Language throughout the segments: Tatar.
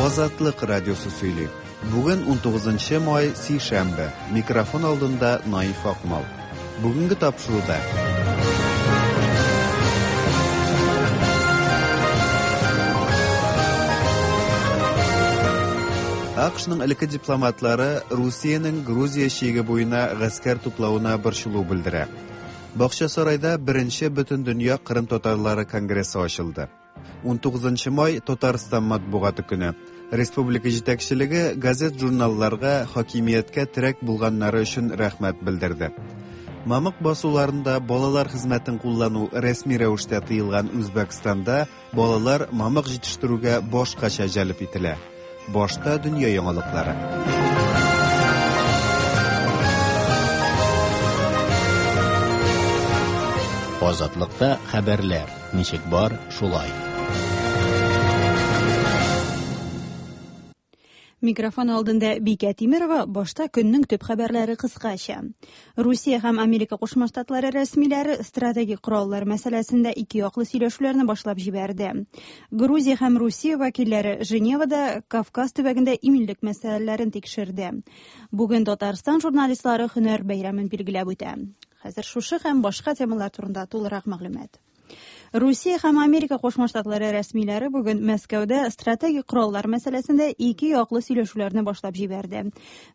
Азатлык радиосы сөйли. Бүген 19 май, сишәмбе. Микрофон алдында Наиф Акмал. Бүгенге тапшыруда АКШның элекке дипломатлары Русиянең Грузия чиге буена гаскәр туплавына борчылу белдерә. Бакчасарайда беренче Бөтендөнья Кырым татарлары конгрессы ачылды. 19 май Татарстан матбугаты көне. Республика җитәкчелеге газет-журналларга хакимияткә терәк булганнары өчен рәхмәт белдерде. Мамык басуларында балалар хезмәтен куллану рәсми рәвештә тыелган Үзбәкстанда балалар мамык җитештерүгә башкача җәлеп ителә. Башта дөнья яңалыклары. Азатлыкта хәбәрләр ничек бар, шулай. Микрофон алдында Бикә Тимерова, башта көннең төп хәбәрләре кыскача. Русия һәм Америка Кушма Штатлары рәсмиләре стратегик кораллар мәсьәләсендә ике яклы сөйләшүләрне башлап җибәрде. Грузия һәм Русия вәкилләре Женевада Кавказ төбәгендә иминлек мәсьәләләрен тикшерде. Бүген Татарстан журналистлары һөнәр бәйрәмен билгеләп үтә. Хәзер шушы һәм башка темалар турында тулырак мәгълүмат. Русия һәм Америка Кушма Штатлары рәсмиләре бүген Мәскәүдә стратегик кораллар мәсьәләсендә ике яклы сөйләшүләрне башлап җибәрде.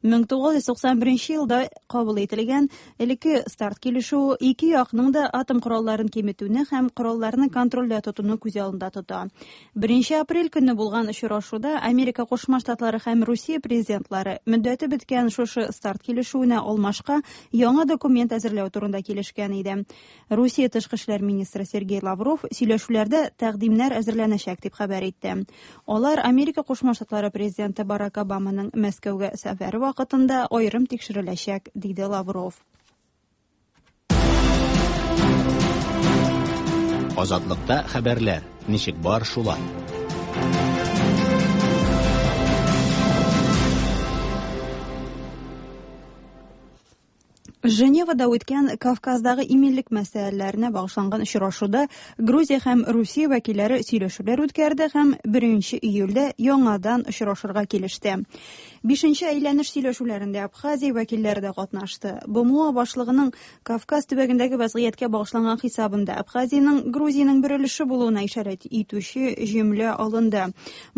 1991 елда кабул ителгән элекке старт килешүе ике якның да атом коралларын киметүне һәм коралларны контрольдә тотуны күз алдында тота. 1 апрель көнне булган очрашуда Америка Кушма Штатлары һәм Русия президентлары мөддәте беткән шушы старт килешүенә алмашка яңа документ әзерләү турында килешкән иде. Русия тышкы эшләр министры Сергей Лавров сөйләшүләрдә тәкъдимнәр әзерләнәчәк дип хәбәр итте. Алар Америка Кушма Штатлары президенты Барак Обаманың Мәскәүгә сәфәре вакытында аерым тикшереләчәк, диде Лавров. Азатлыкта хәбәрләр ничек бар, шулай. Женевада үткән Кавказдагы иминлек мәсьәләләренә багышланган очрашуда Грузия һәм Русия вәкилләре сөйләшүләр үткәрде һәм 1 июльдә яңадан очрашырга килеште. Бишенче әйләнеш сөйләшүләрендә Абхазия вәкилләре дә катнашты. БМО башлыгының Кавказ төбәгендәге вәзгыятькә багышланган хисабында Абхазиянең Грузиянең бер өлеше булуына ишарәт итүче җөмлә алынды.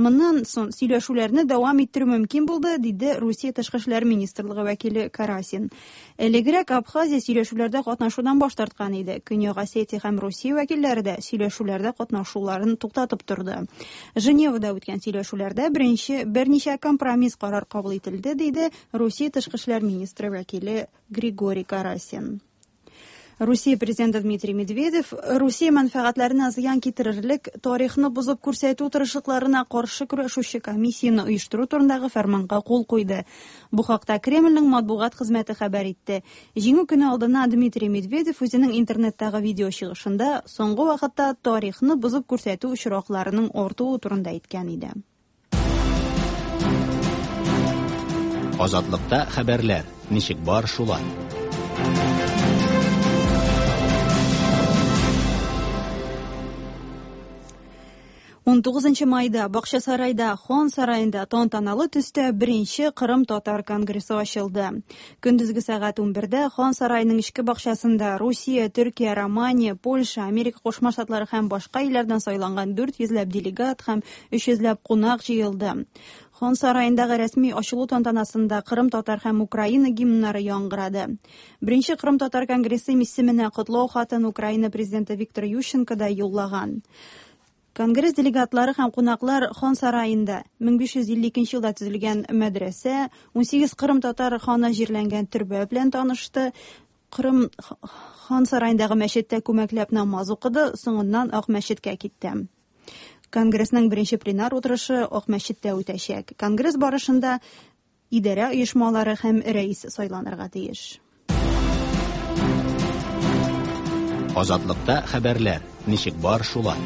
Моннан соң сөйләшүләрне дәвам иттерү мөмкин булды, диде Русия тышкы эшләр министрлыгы вәкиле Карасин. Элегрәк Абхазия сөйләшүләрдә катнашудан баш тарткан иде. Көньяк Осетия һәм Русия вәкилләре дә сөйләшүләрдә катнашуларын туктатып торды. Женевада үткән сөйләшүләрдә беренче берничә компромисс карар кабул ителде, диде Русия тышкы эшләр министры вәкиле Григорий Карасин. Русия президенты Дмитрий Медведев Русия мәнфәгатьләренә зыян китерерлек тарихны бозып күрсәтү тырышлыкларына каршы көрәшүче комиссияне оештыру турындагы фәрманга кул куйды. Бу хакта Кремльнең матбугат хезмәте хәбәр итте. Җиңү көне алдыннан Дмитрий Медведев үзенең интернеттагы видео чыгышында соңгы вакытта тарихны бозып күрсәтү очракларының артуы турында әйткән иде. Азатлыкта хәбәрләр ничек бар, шулай. 19 майда Бакчасарайда Хан сараенда тантаналы төстә беренче Кырым татар конгрессы ачылды. Көндезге сәгать 11дә Хан сараеның эчке бакчасында Русия, Төркия, Романия, Польша, Америка Кушма Штатлары һәм башка илләрдән сайланган 400 ләп делегат һәм 300 ләп кунак җыелды. Хан сараендагы рәсми ачылу тантанасында Кырым татар һәм Украина гимннары яңгырады. Беренче Кырым татар конгрессы исеменә котлау хатын Украина президенты Виктор Ющенко да юллаган. Конгресс делегатлары һәм кунаклар Хан сараенда 1552 елда төзелгән мәдрәсә, 18 Кырым татар ханы җирләнгән төрбә белән танышты. Кырым хан сараендагы мәчеттә күмәкләп намаз укыды, соңыннан Ак мәчеткә китте. Конгрессның беренче пленар утырышы Ак мәчеттә үтәчәк. Конгресс барышында идарә оешмалары һәм рәис сайланырга тиеш. Азатлыкта хәбәрләр ничек бар, шулай.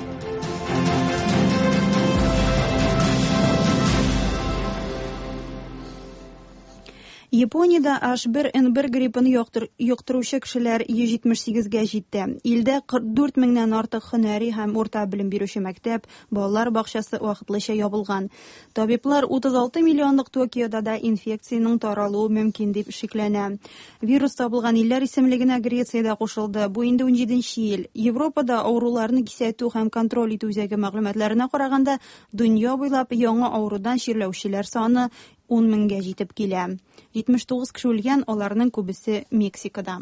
Япониядә H1N1 гриппын йоктыручы кешеләр 178 гә җитте. Илдә 44 меңнән артык һөнәри һәм урта белем бирүче мәктәп, балалар бакчасы вакытлыча ябылган. Табиблар 36 миллионлык Токиода да инфекциянең таралуы мөмкин дип шикләнә. Вирус табылган илләр исемлегенә Греция дә кушылды. Бу инде 17 ел. Европада авыруларны кисәтү һәм контроль итү үзәге мәгълүматларына караганда, дөнья буйлап яңа авырудан чирләүчеләр саны 10 меңгә җитеп килә. 79 кеше үлгән, аларның күбесе Мексикада.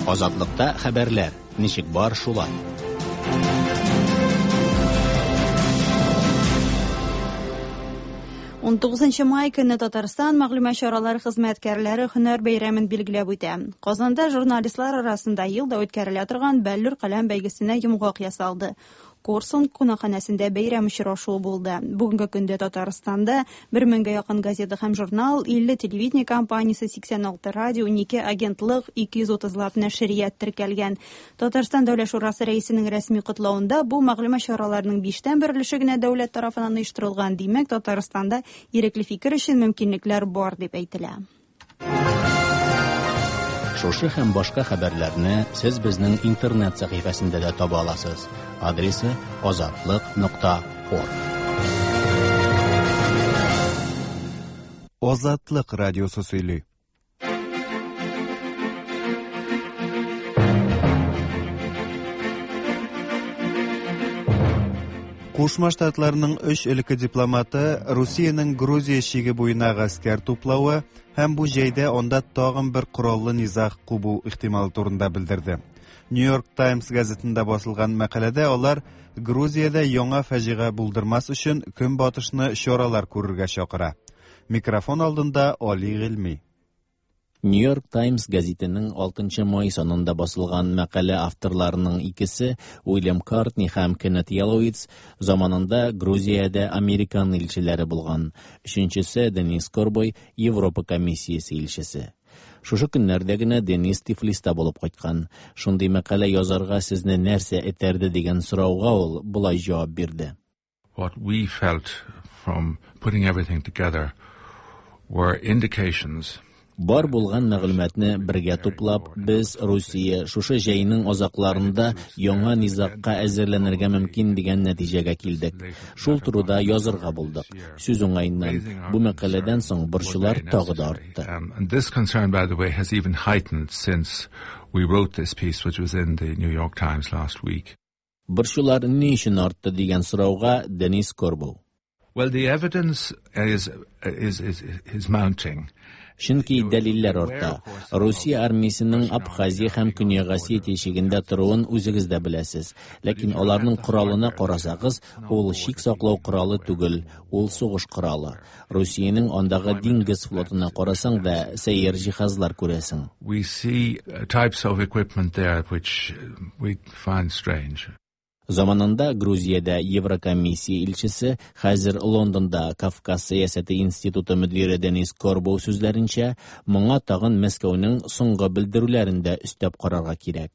Азатлыкта хәбәрләр, ничек бар шулай. 19 май көне Татарстан мәгълүмат чаралары хезмәткәрләре һөнәр бәйрәмен билгеләп үтә. Казанда журналистлар арасында ел да үткәрелә торган Бәллүр каләм бәйгесенә йомгак ясалды. Корсун кунакханәсендә бәйрәм очрашуы булды. Бүгенге көндә Татарстанда 1 меңгә якын газета һәм журнал, 50 телевидение компаниясе, 86 радио, 12 агентлык, 230 лап нәшрият теркәлгән. Татарстан Дәүләт шурасы рәисенең рәсми котлавында бу мәгълүмат чараларының биштән бер өлеше генә дәүләт тарафыннан оештырылган. Димәк, Татарстанда ирекле фикер өчен мөмкинлекләр бар дип әйтелә. Шушы һәм башка хәбәрләрне сез безнең интернет сәхифәсендә дә таба аласыз. Адресы азатлык.орг. Азатлык радиосы сөйли. Кушма Штатларның өч элекке дипломаты Русиянең Грузия чиге буена гаскәр туплавы һәм бу җәйдә анда тагын бер кораллы низаг кубу ихтималы турында белдерде. Нью-Йорк Таймс газетында басылган мәкаләдә алар Грузиядә яңа фаҗига булдырмас өчен Көнбатышны чаралар күрергә чакыра. Микрофон алдында Али Гыйльми. Нью-Йорк Таймс гәзитенең 6 май санында басылган мәкалә авторларының икесе Уильям Картни һәм Кеннет Яловиц заманында Грузиядә американ илчеләре булган. Өченчесе Денис Корбой Европа комиссиясе илчесе. Шушы көннәрдә генә Денис Тифлиста булып кайткан. Шундый мәкалә язарга сезне нәрсә этәрде дигән сорауга ул болай җавап бирде. What we felt from putting everything together were indications. Бар булган мәгълүматны бергә туплап, без Русия шушы җәйнең азакларында яңа низагка әзерләнергә мөмкин дигән нәтиҗәгә килдек. Шул турыда язырга булдык. Сүз уңаеннан, бу мәкаләдән соң борчулар тагы да артты. And this concern, by the way, has even heightened since we wrote this piece, which was in the New York Times last week. Борчулар ни өчен артты дигән сорауга Денис Корбоу. Well, the evidence is mounting. Чөнки дәлилләр арта. Русия армиясенең Абхазия һәм Көньяк Осетия чигендә торуын үзегез дә беләсез. Ләкин аларның коралына карасагыз, ул чик саклау коралы түгел, ул сугыш коралы. Русиянең андагы диңгез флотына карасаң да, сәер җиһазлар күрәсең. We see types of equipment there which we find strange. Заманында Грузиядә Еврокомиссия илчесе, хәзер Лондонда Кавказ сәясәте институты мөдире Денис Корбоу сүзләренчә, моңа тагын Мәскәүнең соңгы белдерүләрен дә өстәп карарга кирәк.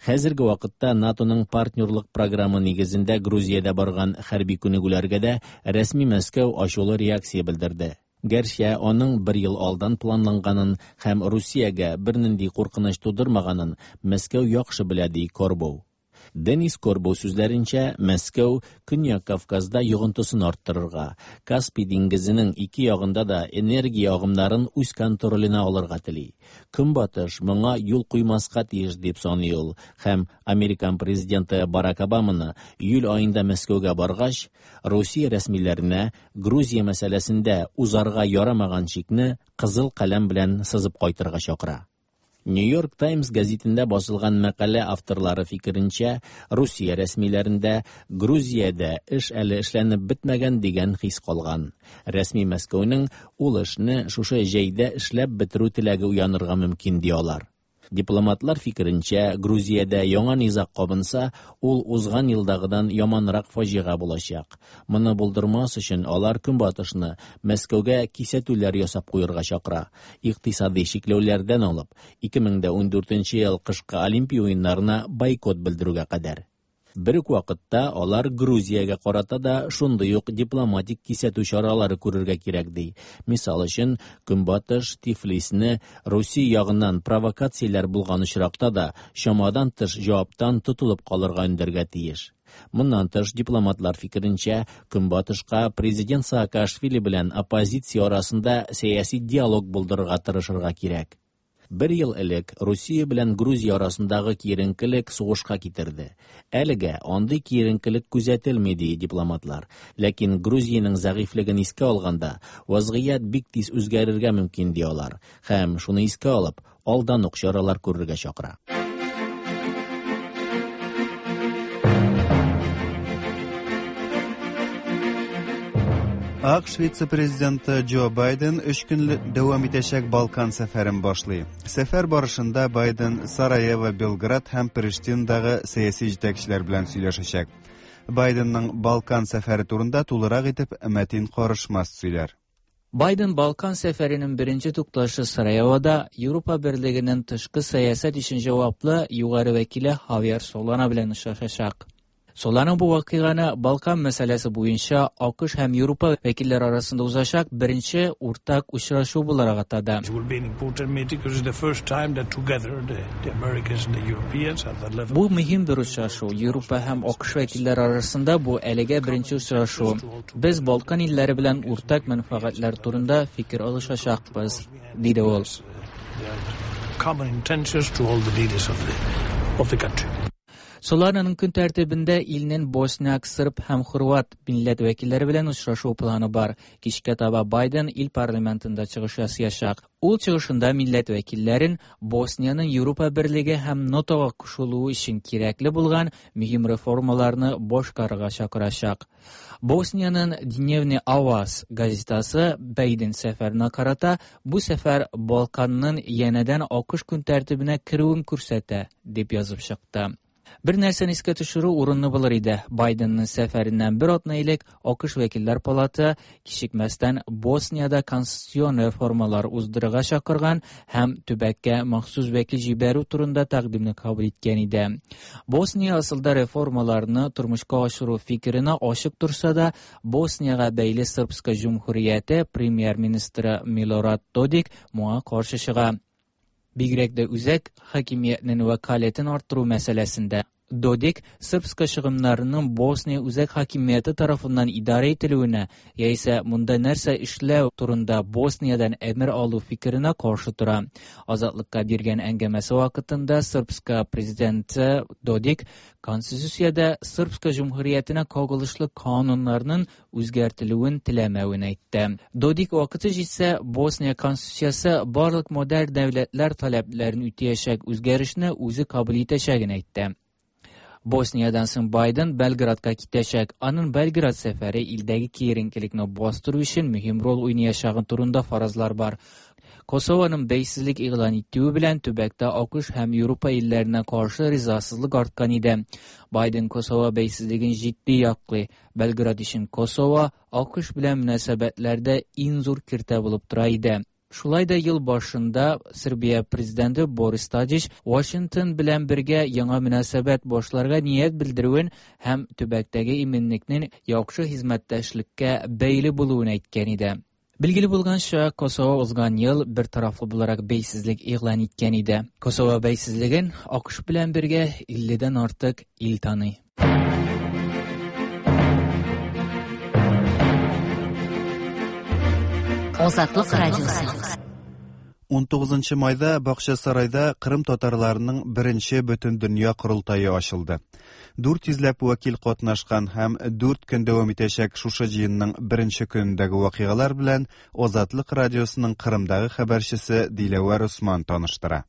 Хәзерге вакытта НАТОның партнерлык программы нигезендә Грузиядә барган хәрби күнегүләргә дә рәсми Мәскәү ачулы реакция белдерде. Гәрчә аның бер ел алдан планланганын һәм Русиягә бернинди куркыныч тудырмаганын Мәскәү яхшы белә, ди Корбоу. Денис Корбоу сүзләренчә, Мәскәү Көньяк Кавказда йогынтысын арттырырга, Каспий диңгезенең ике ягында да энергия агымнарын үз контроленә алырга тели. Көнбатыш моңа юл куймаска тиеш дип саный ул һәм Американ президенты Барак Обаманы июль аенда Мәскәүгә баргач, Русия рәсмиләренә Грузия мәсьәләсендә узарга ярамаган чикне кызыл каләм белән сызып кайтырга чакыра. Нью-Йорк Таймс газетында басылган мәкалә авторлары фикеренчә, Русия рәсмиләрендә Грузиядә эш әле эшләнеп бетмәгән дигән хис калган. Рәсми Мәскәүнең ул эшне шушы җәйдә эшләп бетерү теләге уянырга мөмкин ди алар. Дипломатлар фикеренчә, Грузиядә яңа низаг кабынса, ул узган елдагыдан яманрак фаҗига булачак. Моны булдырмас өчен алар Көнбатышны Мәскәүгә кисәтүләр ясап куярга чакыра. Икътисади чикләүләрдән алып, 2014 ел кышкы Олимпия уеннарына бойкот белдерүгә кадәр. Бер үк вакытта алар Грузиягә карата да шундый ук дипломатик кисәтү чаралары күрергә кирәк ди. Мисал өчен, Көнбатыш Тифлисне Русия ягыннан провокацияләр булган очракта да чамадан тыш җаваптан тотылып калырга өндәргә тиеш. Моннан тыш, дипломатлар фикеренчә, Көнбатышка президент Саакашвили белән оппозиция арасында сәяси диалог булдырырга тырышырга кирәк. Бер ел элек Русия белән Грузия арасындагы киеренкелек сугышка китерде. Әлегә андый киеренкелек күзәтелми, ди дипломатлар. Ләкин Грузиянең зәгыйфьлеген искә алганда, вазгыять бик тиз үзгәрергә мөмкин, ди алар. Һәм шуны искә алып, алдан ук чаралар күрергә чакыра. АКШ вице-президенты Джо Байден өч көнлек дәвам итәчәк Балкан сәфәрен башлый. Сәфәр барышында Байден Сараево, Белград һәм Приштиндагы сәяси җитәкчеләр белән сөйләшәчәк. Байденның Балкан сәфәре турында тулырак итеп Мәтин Карышмас сөйләр. Байден Балкан сәфәренең беренче тукталышы Сараевода Европа Берлегенең тышкы сәясәт өчен җаваплы югары вәкиле Хавьер Солана белән очрашачак. Солана бу вакыйганы Балкан мәсьәләсе буенча АКШ һәм Европа вәкилләре арасында узачак беренче уртак очрашу буларак атады. Бу мөһим бер очрашу. Европа һәм АКШ вәкилләре арасында бу әлегә беренче очрашу. Без Балкан илләре белән уртак мәнфәгатьләр турында фикер алышачакбыз, диде ул. Солананың көн тәртибендә илнең босняк, сырб һәм хорват милләт вәкилләре белән очрашу планы бар. Кичкә таба Байден ил парламентында чыгыш ясаячак. Ул чыгышында милләт вәкилләрен Босниянең Европа берлеге һәм НАТОга кушылуы өчен кирәкле булган мөһим реформаларны башкарырга чакырачак. Босниянең Дневный Аваз газетасы Байден сәфәренә карата бу сәфәр Балканның янәдән АКШ көн тәртибенә керүен күрсәтә, дип язып чыкты. Бер нәрсәне искә төшерү урынлы булыр иде. Байденның сәфәреннән бер атна элек АКШ вәкилләр палаты кичекмәстән Босниядә конституцион реформалар уздырырга чакырган һәм төбәккә махсус вәкил җибәрү турында тәкъдимне кабул иткән иде. Босния асылда реформаларны тормышка ашыру фикеренә ачык торса да, Босниягә бәйле Српска җөмһүрияте премьер-министры Милорад Додик моңа каршы чыга. Бигрәк тә үзәк хакимиятнең вәкаләтен арттыру мәсьәләсендә. Додик Српска чыгымнарының Босния үзәк хакимияте тарафыннан идарә ителүенә яисә монда нәрсә эшләү турында Босниядән әмер алу фикеренә каршы тора. Азатлыкка биргән әңгәмәсе вакытында Српска президенты Додик Конституциядә Српска җөмһүриятенә кагылышлы кануннарның үзгәртелүен теләмәвен әйтте. Додик вакыты җитсә, Босния конституциясе барлык модерн дәүләтләр таләпләрен үтәячәк үзгәрешне үзе кабул итәчәген әйтте. Босниядән соң Байден Белградка китәчәк. Аның Белград сәфәре илдәге киеренкелекне бастыру өчен мөһим роль уйнаячагы турында фаразлар бар. Косованың бәйсезлек игълан итүе белән төбәктә АКШ һәм Европа илләренә каршы ризасызлык арткан иде. Байден Косово бәйсезлеген җитди яклый. Белград өчен Косово АКШ белән мөнәсәбәтләрдә иң зур киртә булып тора иде. Шулай да ел башында Сербия президенты Борис Тадич Вашингтон белән бергә яңа мөнәсәбәт башларга ният белдерүен һәм төбәктәге иминлекнең яхшы хезмәттәшлеккә бәйле булуын әйткән иде. Билгеле булганча, Косово узган ел бер тарафлы буларак бәйсезлек игълан иткән иде. Косово бәйсезлеген АКШ белән бергә 50дән артык ил таный. Азатлык радиосы. 19 майда Бакчасарайда Кырым татарларының беренче бөтендөнья корылтае ачылды. 400 ләп вәкил катнашкан һәм 4 көн дәвам итәчәк шушы җыенның беренче көнендәге вакыйгалар белән Азатлык радиосының Кырымдагы хәбәрчесе Диләвәр Усман таныштыра.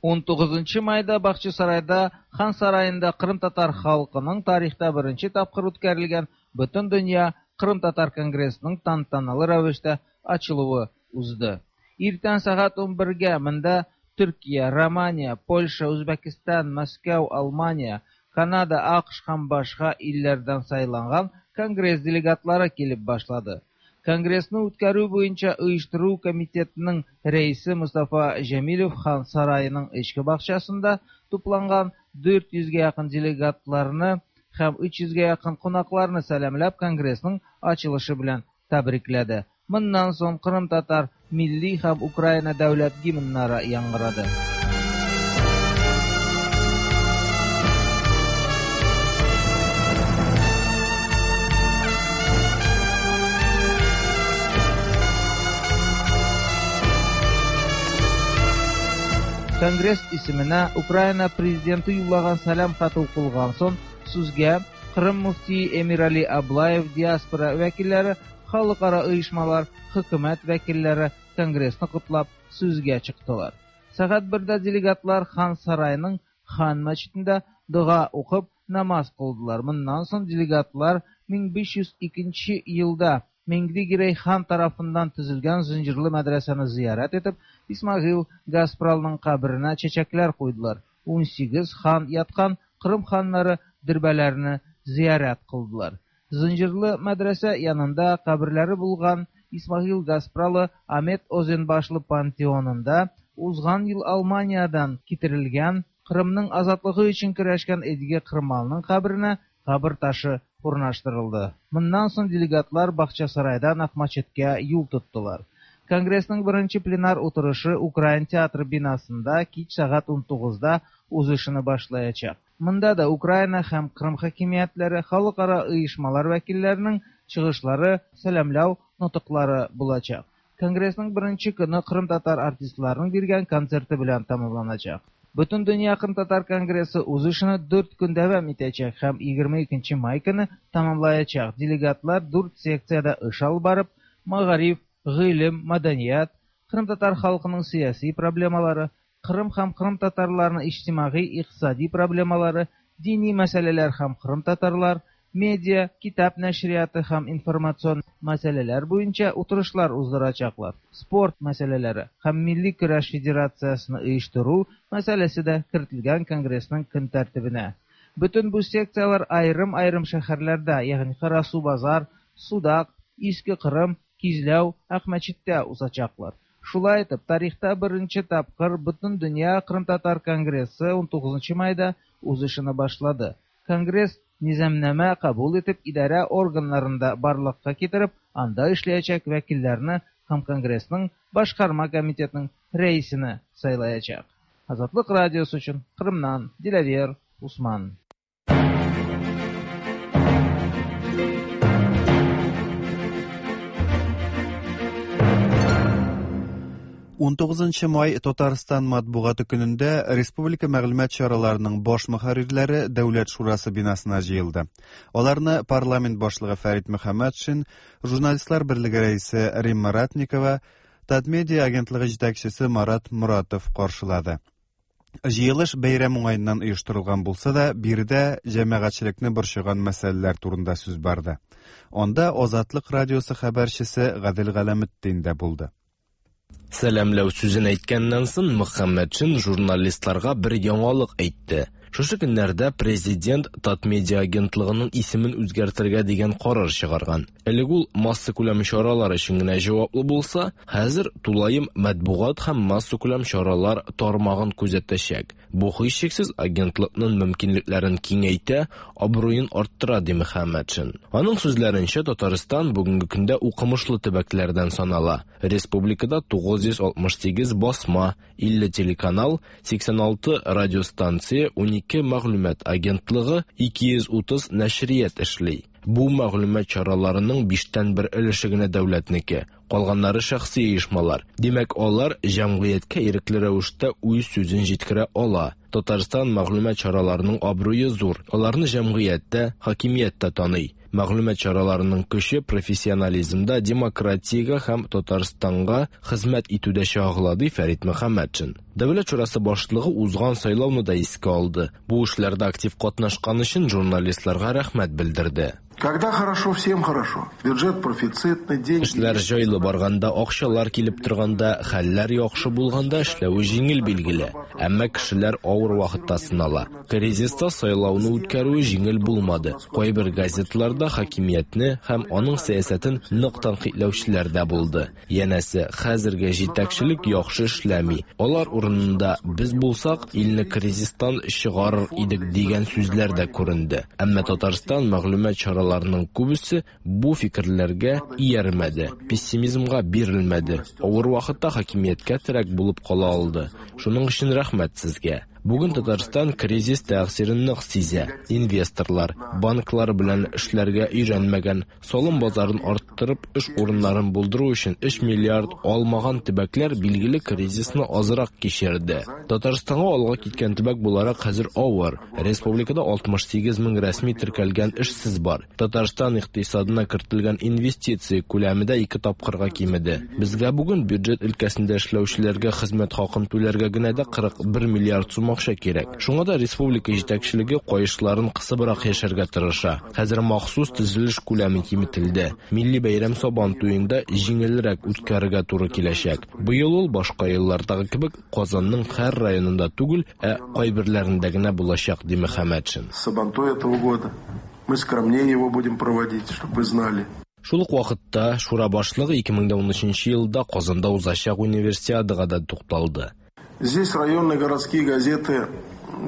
19 майда Бакчасарайда Хан сараенда Кырым татар халкының тарихта беренче тапкыр үткәрелгән Бөтендөнья Кырым татар конгрессының тантаналы рәвештә ачылуы узды. Иртән сәгать 11-гә монда Төркия, Романия, Польша, Үзбәкстан, Мәскәү, Алмания, Канада, АКШ һәм башка илләрдән сайланган конгресс делегатлары килеп башлады. Конгрессны үткәрү буенча оештыру комитетының рәисе Мустафа Җәмилев Хан сараеның эчке бакчасында тупланган 400гә якын делегатларны һәм 300гә якын кунакларны сәламләп, конгрессның ачылышы белән тәбрикләде. Моннан соң кырымтатар милли һәм Украина дәүләт гимннары яңгырады. Конгресс исеменә Украина президенты юллаган сәлам хаты укылган соң, сүзгә Кырым мөфтие Эмирали Аблаев, диаспора вәкилләре, халыкара оешмалар, хөкүмәт вәкилләре конгрессны котлап сүзгә чыктылар. Сәгать 1дә делегатлар Хан сараеның Хан мәчетендә дога укып намаз кылдылар. Моннан соң делегатлар 1502 елда Миңли Гирәй хан тарафыннан төзелгән Зынҗырлы мәдрәсәне зиярәт итеп, Исмагыйл Гаспралның каберенә чәчәкләр куйдылар. 18 хан яткан Кырым ханнары дөрбәләрне зиярәт кылдылар. Зынҗырлы мәдрәсә янында каберләре булган Исмагыйл Гаспралы Амет Озенбашлы пантеонында узган ел Алманиядән китерелгән Кырымның азатлыгы өчен көрәшкән Эдиге Кырмалның каберенә кабер ташы урнаштырылды. Моннан соң делегатлар Бакчасарайдан Акмәчеткә юл тоттылар. Конгрессның беренче пленар утырышы Украин театры бинасында кич сәгать 19да үз эшен башлаячак. Монда да Украина һәм Кырым хакимиятләре, халыкара оешмалар вәкилләренең чыгышлары, сәламләү нотыклары булачак. Конгрессның беренче көне кырымтатар артистларының биргән концерты белән тәмамланачак. Бөтендөнья Кырымтатар конгрессы үз эшен 4 көн дәвам итәчәк һәм 22 май көне тәмамлаячак. Делегатлар 4 секциядә эш алып барып, мәгариф, гыйлем, мәдәният, кырымтатар халкының сәяси проблемалары, Кырым һәм кырымтатарларының иҗтимагый икътисади проблемалары, дини мәсьәләләр һәм кырымтатарлар, медиа, китап нәшрияты һәм информацион мәсьәләләр буенча утырышлар уздырачаклар. Спорт мәсьәләләре һәм милли көрәш федерациясен оештыру мәсьәләсе дә кертелгән конгрессның көн тәртибенә. Бөтен бу секцияләр аерым-аерым шәһәрләрдә, ягъни Карасу-Базар, Судак, Иске Кырым, Кизләү, Акмәчеттә узачаклар. Шулай итеп, тарихта беренче тапкыр Бөтендөнья Кырымтатар конгрессы 19 майда үз эшен башлады. Конгресс низамнамә кабул итеп, идарә органнарында барлыкка китереп, анда эшләячәк вәкилләрне һәм конгрессның башкарма комитетының рәисен сайлаячак. Азатлык радиосы өчен Кырымнан Диләвер Усман. 19 май Татарстан матбугаты көнендә республика мәгълүмат чараларының баш мөхәррирләре Дәүләт шурасы бинасына җыелды. Аларны парламент башлыгы Фәрит Мөхәммәтшин, журналистлар берлеге рәисе Римма Ратникова, Татмедиа агентлыгы җитәкчесе Марат Моратов каршылады. Җыелыш бәйрәм уңаеннан оештырылган булса да, биредә җәмәгатьчелекне борчыган мәсьәләләр турында сүз барды. Анда Азатлык радиосы хәбәрчесе Гадел Галәметдин дә булды. Сәламләү сүзен әйткәннән соң Мөхәммәтшин журналистларга бер яңалык әйтте. Шушы көннәрдә президент Татмедиа агентлыгының исемен үзгәртергә дигән карар чыгарган. Элек ул массакүләм чаралар өчен генә җаваплы булса, хәзер тулаем матбугат һәм массакүләм чаралар тармагын күзәтәчәк. Бу һичшиксез агентлыкның мөмкинлекләрен киңәйтә, абруен арттыра, ди Мөхәммәтшин. Аның сүзләренчә, Татарстан бүгенге көндә укымышлы төбәкләрдән санала. Республикада 968 басма, 50 телеканал, 86 радиостанция, 12 мәгълүмат агентлыгы, 230 нәшрият эшли. Бу мәгълүмат чараларының 1/5 өлеше генә дәүләтнеке, калганнары шәхси оешмалар. Димәк, алар җәмгыятькә ирекле рәвештә үз сүзен җиткерә ала. Татарстан мәгълүмат чараларының абруе зур. Аларны җәмгыятьтә, хакимияттә таный. Мәгълүмат чараларының көче профессионализмда, демократиягә һәм Татарстанга хезмәт итүдә чагыла, ди Фәрит Мөхәммәтшин. Дәүләт шурасы башлыгы узган сайлауны да искә алды. Бу эшләрдә актив катнашкан өчен журналистларга рәхмәт белдерде. Когда хорошо, всем хорошо. Бюджет профицитный, деньги... Эшләр җайлы барганда, акчалар килеп торганда, хәлләр яхшы булганда эшләве җиңел билгеле. Әмма кешеләр авыр вакытта сынала. Кризиста сайлауны үткәрүе җиңел булмады. Кайбер газетларда хакимиятне һәм аның сәясәтен нык тәнкыйтьләүчеләр дә булды. Янәсе, хәзерге җитәкчелек яхшы эшләми. Алар урынында без булсак, илне кризистан чыгарыр идек дигән сүзләр дә күренде. Әмма Татарстан мәгълүмат чараларының күбесе бу фикерләргә иярмәде, пессимизмга бирелмәде. Авыр вакытта хакимияткә терәк булып кала алды. Шуның өчен рәхмәт сезгә. Бүген Татарстан кризис тәэсирен нык сизә. Инвесторлар, банклар белән эшләргә өйрәнмәгән, салым базарын арттырып, эш урыннарын булдыру өчен 3 миллиард алмаган төбәкләр билгеле кризисны азрак кичерде. Татарстанга алга киткән төбәк буларак хәзер авыр. Республикада 68 мең рәсми теркәлгән эшсез бар. Татарстан икътисадына кертелгән инвестиция күләме дә 2 тапкырга кимеде. Безгә бүген бюджет өлкәсендә эшләүчеләргә хезмәт хакын түләргә генә дә 41 миллиард сум акча кирәк. Шуңа да республика җитәкчелеге каешларын кысыбрак яшәргә тырыша. Хәзер махсус төзелеш күләме киметелде. Милли бәйрәм Сабан туенда җиңелрәк үткәрергә туры киләчәк. Быел ул башка еллардагы кебек Казанның һәр районында түгел, ә кайберләрендә генә булачак, ди Мөхәммәтшин. Сабантуй этого года. Мы скромнее его будем проводить, чтобы вы знали. Шул ук вакытта Шура башлыгы 2013 елда Казанда узачак универсиадага да тукталды. Здесь районные городские газеты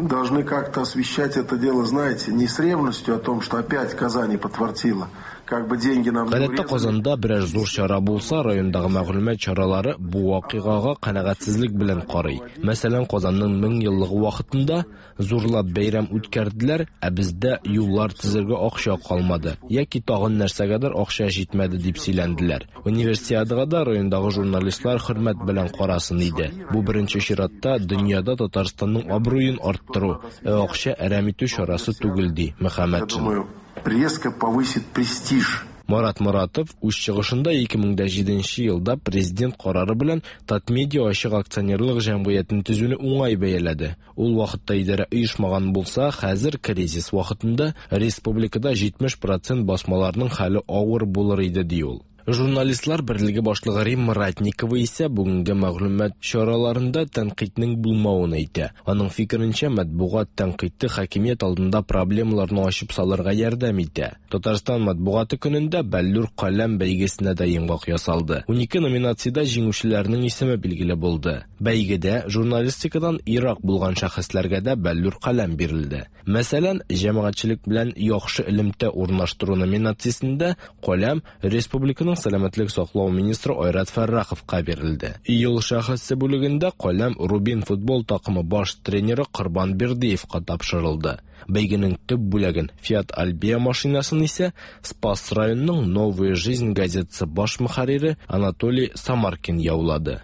должны как-то освещать это дело, знаете, не с ревностью о том, что опять Казани подфартило, как бы деньги нам не Гадәттә урезали. Казанда берәр зур чара булса, райондагы мәгълүмат чаралары бу вакыйгага канәгатьсезлек белән карый. Мәсәлән, Казанның 1000 еллыгы вакытында зурлап бәйрәм үткәрделәр, ә бездә юллар төзергә акча калмады яки тагын нәрсәгәдер акча җитмәде дип сөйләнделәр. Универсиадага да райондагы журналистлар хөрмәт белән карасын иде. Бу беренче чиратта дөньяда Татарстанның абруен арттыру, ә акча әрәм итү чарасы түгел, ди Я Мөхәммәтшин. думаю, резко повысит престиж. Марат Моратов үз чыгышында 2007 елда президент карары белән Татмедиа ачык акционерлык җәмгыятен төзүне уңай бәяләде. Ул вакытта идарә оешмаган булса, хәзер кризис вакытында республикада 70% басмаларның хәле авыр булыр иде, ди ул. Журналистлар берлеге башлыгы Римма Ратникова исә бүгенге мәгълүмат чараларында тәнкыйтьнең булмавын әйтә. Аның фикеренчә, матбугат тәнкыйте хакимият алдында проблемаларны ачып салырга ярдәм итә. Татарстан матбугаты көнендә Бәллүр каләм бәйгесенә дә йомгак ясалды. 12 номинациядә җиңүчеләрнең исеме билгеле булды. Бәйгедә журналистикадан ерак булган шәхесләргә дә Бәллүр каләм бирелде. Мәсәлән, җәмәгатьчелек белән яхшы элемтә урнаштыру номинациясендә каләм республиканың сәламәтлек саклау министры Айрат Фәрраховка бирелде. Ел шәхесе бүлегендә каләм Рубин футбол такымы баш тренеры Корбан Бердыевка тапшырылды. Бәйгенең төп бүләген Fiat Albea машинасын исә Спас районының Новая жизнь газетасы баш мөхәррире Анатолий Самаркин яулады.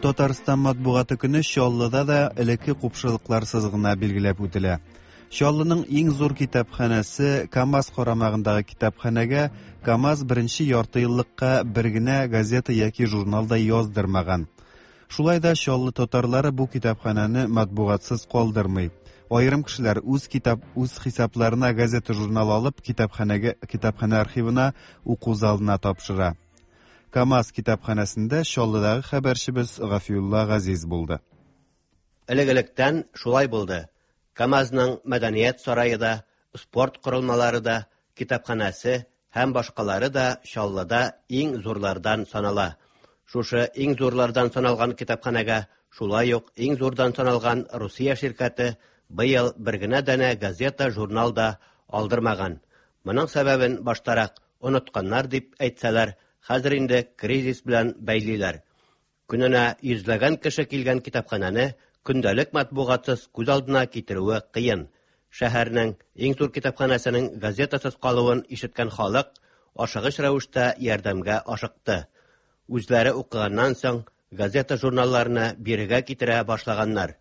Татарстан матбугаты көне Чаллыда да элекке купшылыкларсыз гына билгеләп үтелә. Чаллының иң зур китапханәсе КАМАЗ карамагындагы китапханәгә КАМАЗ беренче ярты еллыкка бер генә газета яки журнал да яздырмаган. Шулай да Чаллы татарлары бу китапханәне матбугатсыз калдырмый. Аерым кешеләр үз хисапларына газета журнал алып китапханә архивына, уку залына тапшыра. КАМАЗ китапханәсендә Чаллыдагы хәбәрчебез Гафиулла Газиз булды. Элек-электән шулай булды. КАМАЗның мәдәният сарае да, спорт корылмалары да, китапханәсе һәм башкалары да Чаллыда иң зурлардан санала. Шушы иң зурлардан саналган китапханәгә шулай ук иң зурдан саналган Русия ширкәте быел бер генә данә газета, журнал да алдырмаган. Моның сәбәбен баштарак онытканнар дип әйтсәләр, хәзер инде кризис белән бәйлиләр. Көненә йөзләгән кеше килгән китапханәне көндәлек матбугатсыз күз алдына китерүе кыен. Шәһәрнең иң зур китапханәсенең газетасыз калуын ишеткән халык ашыгыч рәвештә ярдәмгә ашыкты. Үзләре укыганнан соң газета журналларны бирегә китерә башлаганнар.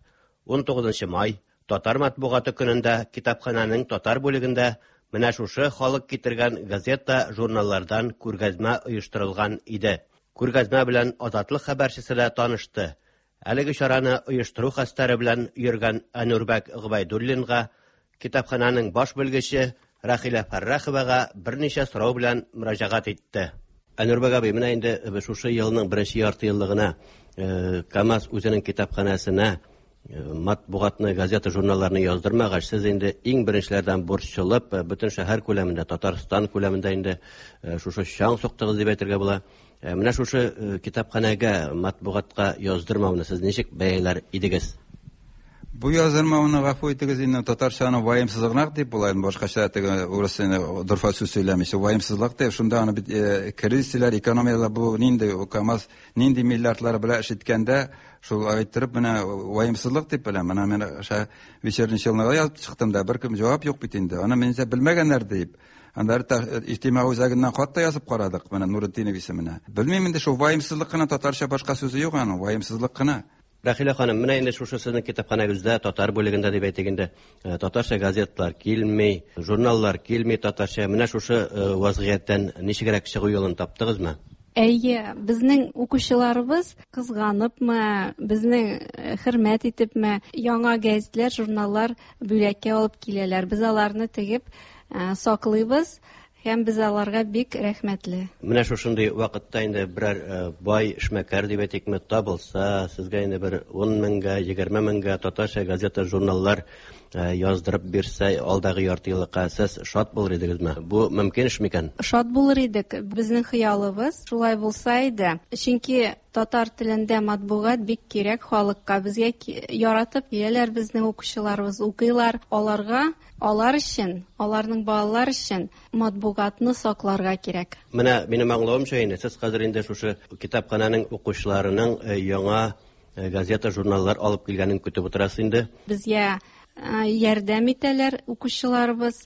19 май Татар матбугаты көнендә китапханәнең татар бүлегендә менә шушы халык китергән газета журналлардан күргәзмә оештырылган иде. Күргәзмә белән Азатлык хәбәрчесе дә танышты. Әлеге чараны оештыру хәстәре белән йөргән Әнурбәк Гобәйдуллинга, китапханәнең баш белгече Рәхилә Фәрраховага берничә сорау белән мөрәҗәгать итте. Әнурбәк абый, менә инде шушы елның беренче ярты еллыгына КАМАЗ үзенең китапханәсенә матбугатны, газета, журналларны яздырмагач, сез инде иң беренчеләрдән борчылып, бөтен шәһәр күләмендә, Татарстан күләмендә инде шушы чаң суктыгыз дип әйтергә була. Менә шушы китапханәгә матбугатка яздырмауны сез ничек бәяләр идегез? Бу яздырмауны, гафу итегез инде, татарчаны ваемсызлык дип була инде, башкача теге урыс инде дорфа сүз сөйләмичә, ваемсызлык дип, шунда аны бит кризислар, экономиялар, бу нинди КАМАЗ нинди миллиардлар белән эш иткәндә, шул әйттереп менә ваемсызлык дип беләм. Менә мин ша Вечерний Челныга язып чыктым да, беркем җавап юк бит инде. Аны минсә белмәгәннәр дип. Анда иҗтимагый үзәгеннән хат та язып карадык, менә Нуретдинов исеменә. Белмим инде, шул ваемсызлык кына, татарча башка сүзе юк аның, ваемсызлык кына. Рәхилә ханым, менә инде шушы сезнең китапханәгездә татар бүлегендә дип әйтик инде, татарча газетлар килми, журналлар килми татарча. Менә шушы вазгыятьтән ничегрәк чыгу юлын таптыгызмы? Әйе, безнең укучыларыбыз кызганыпмы, безнең хөрмәт итепме, яңа гәзитләр, журналлар бүләккә алып киләләр. Без аларны тегеп саклыйбыз һәм без аларга бик рәхмәтле. Менә шушындый вакытта инде берәр бай эшмәкәр дип әйтикме, табылса, сезгә инде бер 10 меңгә, 20 меңгә татарча газета, журналлар яздырып бирсә, алдагы ярты еллыкка сез шат булыр идегезме? Бу мөмкин эш микән? Шат булыр идек. Безнең хыялыбыз шулай булса иде. Чөнки татар телендә матбугат бик кирәк халыкка. Безгә яратып киләләр безнең укучыларыбыз, укыйлар. Аларга, алар өчен, аларның балалар өчен матбугатны сакларга кирәк. Менә минем аңлавымча инде, сез хәзер инде шушы китапханәнең укучыларының яңа газета, журналлар алып килгәнен көтеп утырасыз инде. Безгә ярдәм итәләр укучыларыбыз.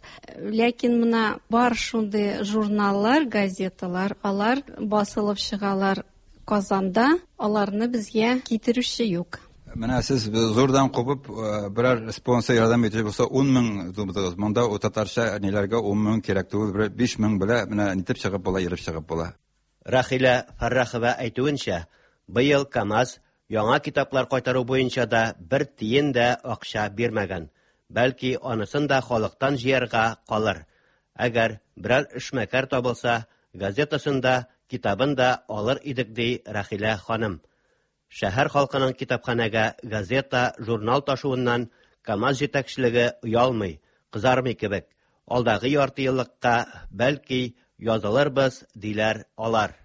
Ләкин менә бар шундый журналлар, газеталар, алар басылып чыгалар Казанда, аларны безгә китерүче юк. Менә сез зурдан кубып, берәр спонсор ярдәм итүче булса, 10 мең тудыгыз. Монда у татарча ниләргә 10 мең кирәк түгел, бер 5 мең белә, менә нитеп чыгып була, ерып чыгып була. Рәхилә Фәррахова әйтүенчә, быел КАМАЗ яңа китаплар кайтару буенча да бер тиен дә акча бирмәгән. Бәлки анысын да халыктан җыярга калыр. Әгәр берәр эшмәкәр табылса, газетасын да, китабын да алыр идек, ди Рәхилә ханым. Шәһәр халкының китапханәгә газета, журнал ташуыннан КАМАЗ җитәкчелеге оялмый, кызармый кебек. Алдагы ярты еллыкка бәлки язылырбыз, диләр алар.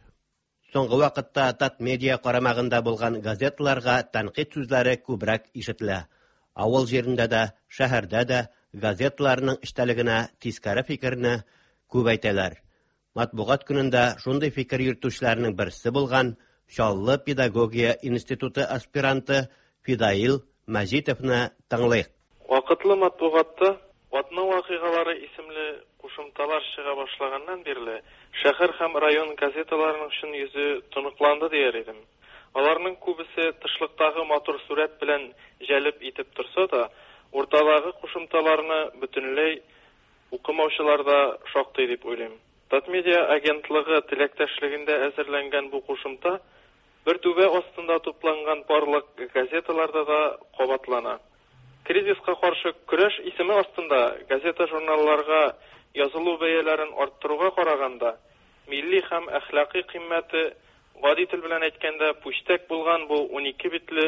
Соңгы вакытта Татмедиа карамагында булган газеталарга тәнкыйть сүзләре күбрәк ишетелә. Авыл җирендә дә, шәһәрдә дә газеталарның эчтәлегенә тискәре фикерне күп әйтәләр. Матбугат көнендә шундый фикер йөртүчеләрнең берсе булган Чаллы педагогия институты аспиранты Фидаил Мәҗитовны тыңлыйк. Вакытлы матбугатта Атна вакыйгалары исемле кушымталар чыга башлаганнан бирле шәһәр һәм район газеталарының чын йөзе тоныкланды дияр идем. Аларның күбесе тышлыктагы матур сурәт белән җәлеп итеп торса да, уртадагы кушымталарны бөтенләй укымаучылар да шактый дип уйлыйм. Татмедиа агентлыгы теләктәшлегендә әзерләнгән бу кушымта бер түбә астында тупланган барлык газеталарда да кабатлана. Кризиска каршы көрәш исеме астында газета-журналларга язылу бәяләрен арттыруга караганда, милли һәм әхлакый кыйммәте, гади тел белән әйткәндә, пүчтәк булган бу 12 битле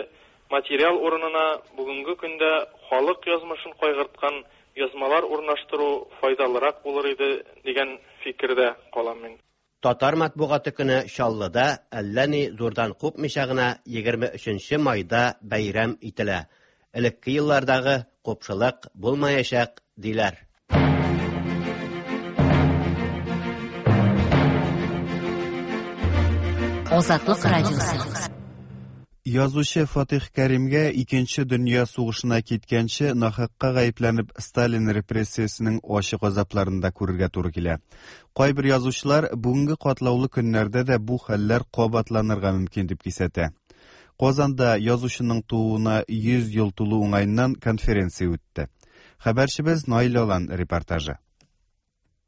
материал урынына бүгенге көндә халык язмышын кайгырткан язмалар урнаштыру файдалырак булыр иде дигән фикердә калам мин. Татар матбугаты көне Чаллыда әллә ни зурдан купмыйча гына 23 майда бәйрәм ителә. Элекке еллардагы купшылык булмаячак, диләр. Азатлык радиосы. Язучы Фатих Кәримгә Икенче дөнья сугышына киткәнче нахакка гаепләнеп Сталин репрессиясенең ачы газапларын да күрергә туры килә. Кайбер язучылар бүгенге катлаулы көннәрдә дә бу хәлләр кабатланырга мөмкин дип кисәтә. Казанда язучының тууына 100 ел тулу уңаеннан конференция үтте. Хәбәрчебез Наил Алан репортажы.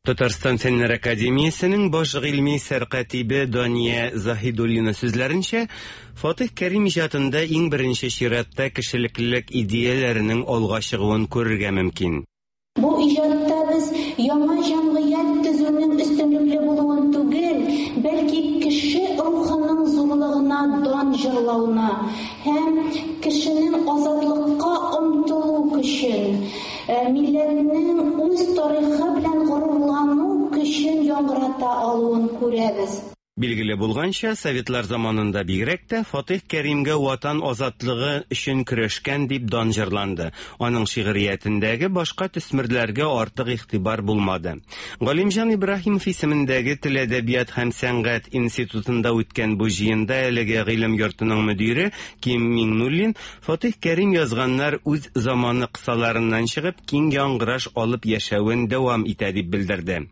Татарстан Фәннәр академиясенең баш гыйльми сәркатибе Дания Заһидуллина сүзләренчә, Фатих Кәрим иҗатында иң беренче чиратта кешелеклелек идеяләренең алга чыгуын күрергә мөмкин. Бу иҗатта без яңа җәмгыять төзүнең өстенлекле булуын түгел, бәлки кеше рухының зурлыгына дан җырлауны һәм кешенең азатлыкка омтылу көчен, милләтнең үз тарихы белән горурлану көчен яңгырата алуын күрәбез. Билгеле булганча, советлар заманында бигрәк тә Фатих Кәримгә Ватан азатлыгы өчен көрәшкән дип дан җырланды. Аның шигъриятендәге башка төсмерләргә артык игътибар булмады. Галимҗан Ибраһимов исемендәге Тел, әдәбият һәм сәнгать институтында үткән бу җыенда әлеге гыйлем йортының мөдире Ким Миңнуллин Фатих Кәрим язганнар үз заманы кысаларыннан чыгып киң яңгыраш алып яшәвен дәвам итә дип белдерде.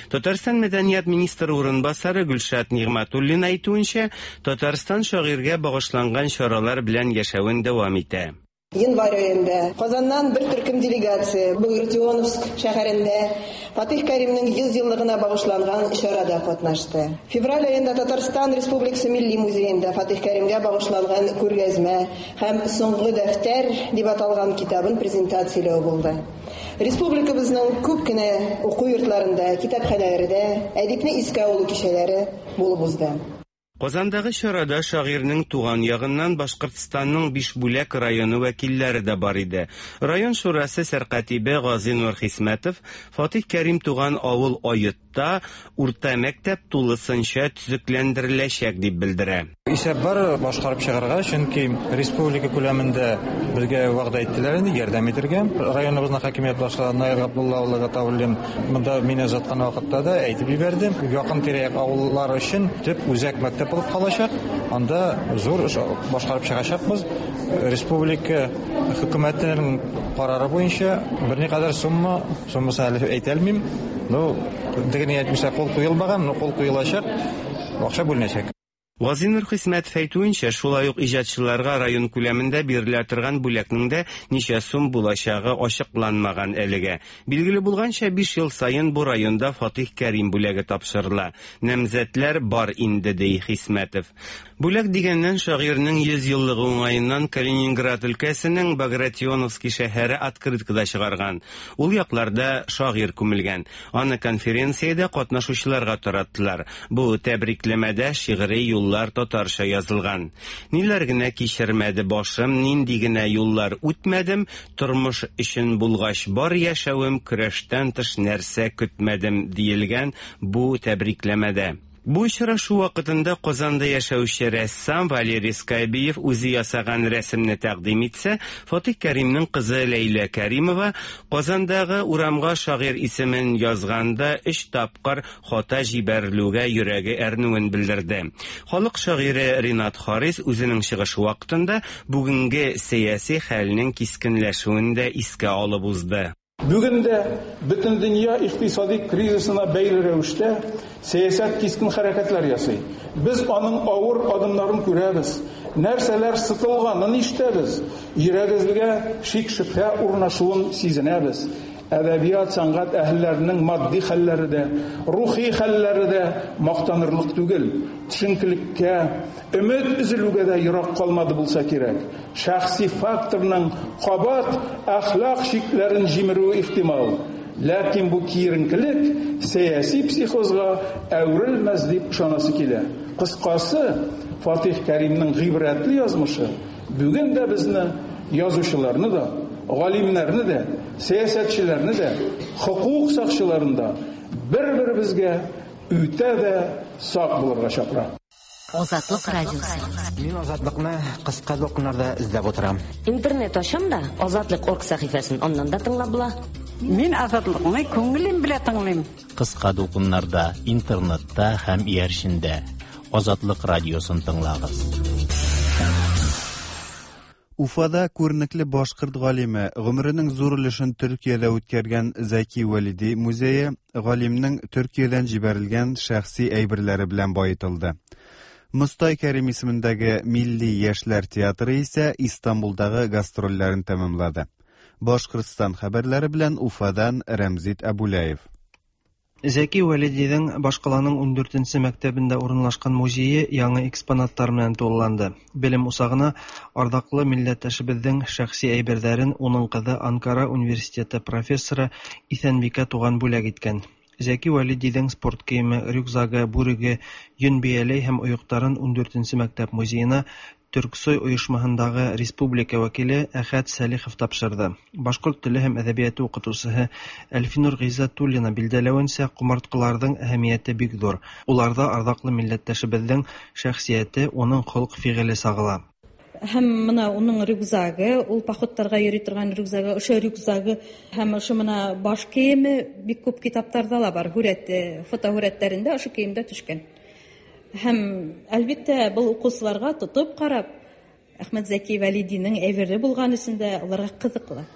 Татарстан мәдәният министры урынбасары Гөлшат Нигъмәтуллина әйтүенчә, Татарстан шагыйрьгә багышланган чаралар белән яшәвен дәвам итә. Январь аенда Казаннан бер төркем делегация Багратионовск шәһәрендә Фатих Кәримнең 100 еллыгына багышланган чарада катнашты. Февраль аенда Татарстан Республикасы Милли музеенда Фатих Кәримгә багышланган күргәзмә һәм Соңгы дәфтәр дип аталган китабын презентацияләү булды. Республикабызның күп кенә уку йортларында, китапханәләрдә әдипне искә алу кичәләре булып узды. Казандагы чарада шагыйрьнең туган ягыннан Башкортстанның Бишбүләк районы вәкилләре дә бар иде. Район шурасы сәркатибе Газинур Хисмәтов Фатих Кәрим туган авыл Оетта урта мәктәп тулысынча төзекләндереләчәк дип белдерә. Исәп бар башкарып чыгарга, чөнки республика күләмендә безгә вәгъдә иттеләр инде ярдәм итергә. Районыбызның хакимият башлыгы Наил Габдулла улы Гатауллин монда мине озаткан вакытта да әйтеп җибәрде. Якын тирә-як авыллар өчен төп үзәк мәктәп булып калачак. Анда зур эш башкарып чыгачакбыз. Республика хөкүмәтенең карары буенча берникадәр сумма, суммасын әле әйтә алмыйм, но теге әйтмичә кул куелмаган, но кул куелачак, акча бүленәчәк. Газинур Хисмәтов әйтүенчә, шулай ук иҗатчыларга район күләмендә бирелә торган бүләкнең дә ничә сум булачагы ачыкланмаган әлегә. Билгеле булганча, 5 ел саен бу районда Фатих Кәрим бүләге тапшырыла. Намзәтләр бар инде, ди Хисмәтов. Бүләк дигәннән, шагыйрьнең 100 еллыгы уңаеннан Калининград өлкәсенең Багратионовский шәһәре открытка да чыгарган. Ул якларда шагыйрь күмелгән. Аны конференциядә катнашучыларга тараттылар. Бу тәбрикләмәдә шигъри юллар татарча язылган. Ниләр генә кичермәде башым, нинди генә юллар үтмәдем, тормыш өчен булгач бар яшәвем, көрәштән тыш нәрсә көтмәдем, диелгән бу тәбрикләмәдә. Бу очрашу вакытында Казанда яшәүче рәссам Валерий Скайбиев үзе ясаган рәсемне тәкъдим итсә, Фатих Кәримнең кызы Ләйлә Кәримова Казандагы урамга шагыйрь исемен язганда 3 тапкыр хата җибәрелүгә йөрәге әрнүен белдерде. Халык шагыйре Ринат Харис үзенең чыгышы вакытында бүгенге сәяси хәлнең кискенләшүен дә искә алып узды. Бүген дә бөтендөнья икътисади кризисына бәйле рәвештә сәясәт кискен хәрәкәтләр ясый. Без аның авыр адымнарын күрәбез. Нәрсәләр сытылганын ишетәбез. Йөрәгебезгә шик-шөбһә урнашуын сизенәбез. Әдәбият, сәнгать әһелләренең матди хәлләре дә, рухи хәлләре дә мактанырлык түгел. Төшенкелеккә, өмет өзелүгә дә ерак калмады булса кирәк. Шәхси факторның кабат әхлак чикләрен җимерүе ихтимал. Ләкин бу киеренкелек сәяси психозга әверелмәс дип ышанасы килә. Кыскасы, Фатих Кәримнең гыйбрәтле язмышы бүген дә безне, язучыларны да, галимнәрне дә, сәясәтчеләрне дә, хокук сакчыларын да бер-беребезгә үтә дә сак булырга чакыра. Азатлык радиосы. Мин Азатлыкны кыска дулкыннарда эзләп утырам. Интернет ачам да, Азатлык орг сәхифәсен аннан да тыңлап була. Мин Азатлыкны күңелем белән тыңлыйм. Кыска дулкыннарда, интернетта һәм иярчендә. Азатлык радиосын тыңлагыз. Уфада күренекле башкорт галиме, гомеренең зур өлешен Төркиядә үткәргән Зәки Вәлиди музее галимнең Төркиядән җибәрелгән шәхси әйберләре белән баетылды. Мостай Кәрим исемендәге Милли яшьләр театры исә Истанбулдагы гастрольләрен тәмамлады. Башкортстан хәбәрләре белән Уфадан Рәмзит Әбүләев. Зәки Вәлидидің башкаланың ундүртенче мәктәбендә урынлашкан музее яңа экспонаттар менән тулыланды. Белем усагына ардаклы милләттәшебезнең шәхси әйберҙәрен уның кызы Анкара университеты профессоры Иҫәнбикә туган бүләк иткән. Зәки Вәлидидің спорт кейеме, рюкзагы, бүреге, йөн бияләй һәм оёктарын ундүртенче мәктәп музеена Төрксой оешмаһындагы республика вәкиле Әхәт Сәлихов тапшырды. Башкорт теле һәм әдәбияты укытучыһы Әлфинур Гыйззәтуллина билдәләвенсә, ҡомартҡыларҙың әһәмиәте бик ҙур. Уларҙа арҙаҡлы милләттәшебеҙҙең шәхсиәте, уның холоҡ-фиғеле сағыла. Һәм мына уның рюкзагы, ул походтарға йөрөй торған рюкзагы, ошо рюкзагы һәм ошо мына баш кейеме бик күп китаптарҙа ла бар, һүрәте, фотоһүрәттәрендә ошо кейемдә төшкән. Һәм, әлбиттә, был уҡыусыларға тотоп ҡарап, Әхмәт Зәки Вәлидиның әйбере булған өсөн дә уларға ҡыҙыҡлы.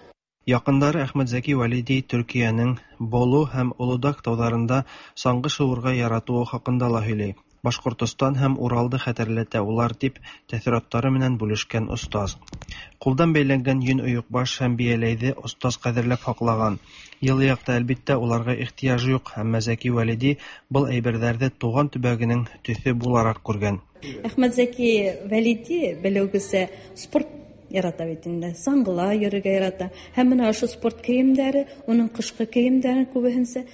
Яҡындары Әхмәт Зәки Вәлиди Төркиәнең Болу һәм Олодаг тауҙарында саңғы шыуырға яратыуы хаҡында ла һөйләй. Башҡортостан һәм Уралды хәтерләтә улар, тип тәьҫораттары менән бүлешкән остаз. Ҡулдан бәйләнгән йөн ойоҡбаш һәм бейәләйҙе остаз ҡәҙерләп һаҡлаған. Йылы яҡта, әлбиттә, уларға ихтыяж юҡ, әммә Зәки Вәлиди был әйберҙәрҙе тыуған төбәгенең төҫө булараҡ күргән. Әхмәт Зәки Вәлиди, белеүегеҙсә, спорт ярата бит инде, саңғыла йөрөргә ярата. Һәм мына ошо спорт кейемдәре, уның ҡышҡы кейемдәрен күбеһенсә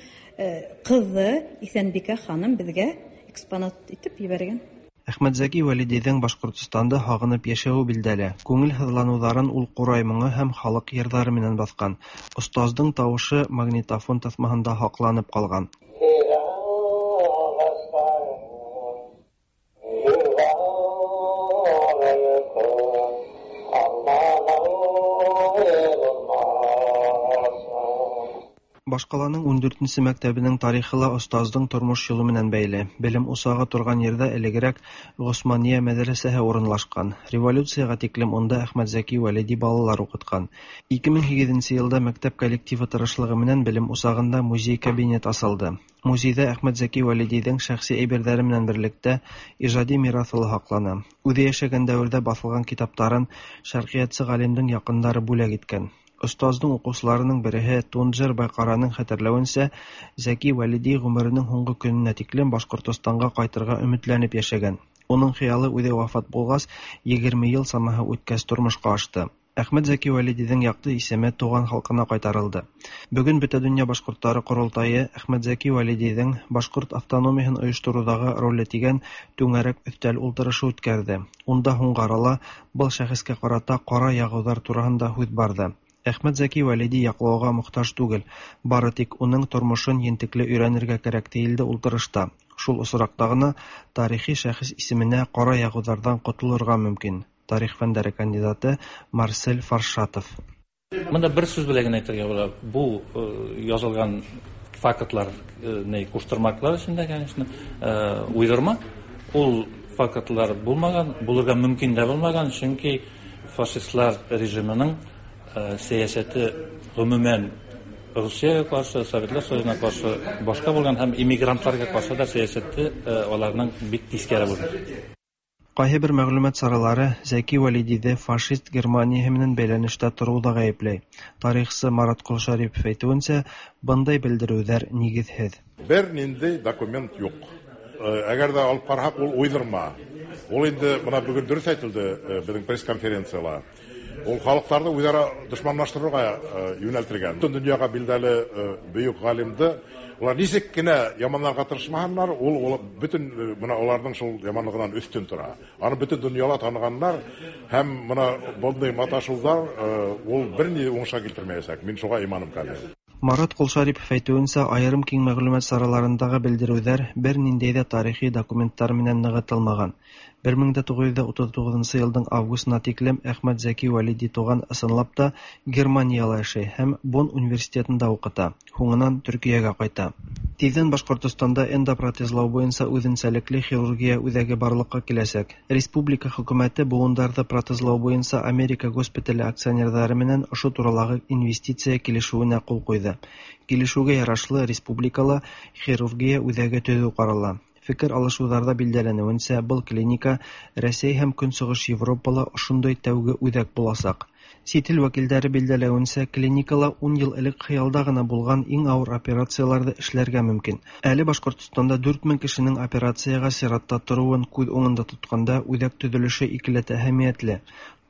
ҡыҙы Иҫәнбикә ханым беҙгә экспонат итеп ебәргән. Әхмәт Зәки Вәлидиҙең Башҡортостанды һағынып йәшәүе билдәле. Күңел һыҙланыуҙарын ул ҡурай моңо һәм халыҡ йырҙары менән баҫҡан. Остаздың тауышы магнитофон таҫмаһында һаҡланып ҡалған. Башҡаланың ундүртенсе мәктәбенең тарихы ла остаздың тормош юлы менән бәйле. Белем усағы торған ерҙә элегерәк Ғосманиә мәҙрәсәһе урынлашҡан. Революцияға тиклем унда Әхмәт Зәки Вәлиди балалар уҡытҡан. 2008 йылда мәктәп коллективы тырышлығы менән белем усағында музей-кабинет асылды. Музейҙа Әхмәт Зәки Вәлидиҙең шәхси әйберҙәре менән берлектә ижади мираҫы ла һаҡлана. Үҙе йәшәгән дәүерҙә баҫылған китаптарын шәрҡиәтсе ғалимдың яҡындары бүләк иткән. Остаздың уҡыусыларының береһе Тунджер Байҡараның хәтерләүенсә, Зәки Вәлиди ғүмеренең һуңғы көнөнә тиклем Башҡортостанға ҡайтырға өмөтләнеп йәшәгән. Уның хыялы үҙе вафат булғас, 20 йыл самаһы үткәс тормошҡа ашты. Әхмәт Зәки Вәлидиҙең яҡты исеме тыуған халҡына ҡайтарылды. Бөгөн Бөтә донъя башҡорттары ҡоролтайы Әхмәт Зәки Вәлидиҙең башҡорт автономияһын ойоштороуҙағы роле тигән түңәрәк өҫтәл ултырышы үткәрҙе. Унда һуңғы арала был шәхескә ҡарата ҡара яғыуҙар тураһында һүҙ барҙы. Әхмәт Зәки Вәлиди яҡлауға мохтаж түгел, бары тик уның тормошон ентекле өйрәнергә кәрәк тейелде ултырышта. Шул осраҡта ғына тарихи шәхес исеменә ҡара яғыуҙарҙан ҡотолорға мөмкин. Тарих фәндәре кандидаты Марсель Фаршатов. Мында бер сүз белән генә әйтергә була. Бу язылган фактлар не куштырмаклар эчендә, конечно, уйдырма. Ул фактлар булмаган, булырга мөмкин дә булмаган, чөнки фашистлар режимының сәясәте гомумән Русиягә каршы, Советлар Союзына каршы башка булган һәм иммигрантларга каршы да сәясәте аларның бик тискәре булган. Ҡайһы бер мәғлүмәт саралары Зәки Вәлидиҙе фашист Германияһы менән бәйләнештә тороуҙа ғәйепләй. Тарихсы Марат Ҡолшәрипов әйтеүенсә, бындай белдереүҙәр нигеҙһеҙ. Бер ниндәй документ юҡ. Әгәр ҙә алып ҡараһаҡ, ул уйҙырма. Ул инде бына бөгөн дөрөҫ әйтелде беҙҙең пресс-конференцияла. Ул халыҡтарҙы үҙ-ара дошманлаштырыуға йүнәлтелгән. Бөтөн донъяға билдәле бөйөк ғалимды улар нисек кенә яманларға тырышмаһыннар, ул бөтөн бына уларҙың шул яманлығынан өҫтөн тора. Аны бөтөн донъяла танығандар һәм бына бындай маташыуҙар ул бер ни уңышҡа килтермәйәсәк. Мин шуға иманым камил. Марат Ҡолшәрипов әйтеүенсә, айырым киң мәғлүмәт сараларындағы белдереүҙәр бер ниндәй ҙә тарихи документтар менән нығытылмаған. 1939 йылдың августына тиклем Әхмәт Зәки Вәлиди туған ысынлап та Германияла йәшәй һәм Бонн университетында уҡыта, һуңынан Төркиәгә ҡайта. Тиҙҙән Башҡортостанда эндопротезлау буйынса үҙенсәлекле хирургия үҙәге барлыҡҡа киләсәк. Республика хөкүмәте быуындарҙы протезлау буйынса Америка госпитале акционерҙары менән ошо туралағы инвестиция килешеүенә ҡул ҡуйҙы. Килешеүгә ярашлы республикала хирургия үҙәге төҙөү ҡарала. Фекер алышыуҙарҙа билдәләнеүенсә, был клиника Рәсәй һәм Көнсығыш Европала ошондай тәүге үҙәк буласаҡ. Чит ил вәкилдәре билдәләвенчә, клиникала ун ел элек хыялда гына булган иң авыр операцияләр дә эшләргә мөмкин. Әле Башкортстанда 4000 кешенең операциягә чиратта торуын күз уңында тотканда, үзәк төзелеше икеләтә әһәмиятле.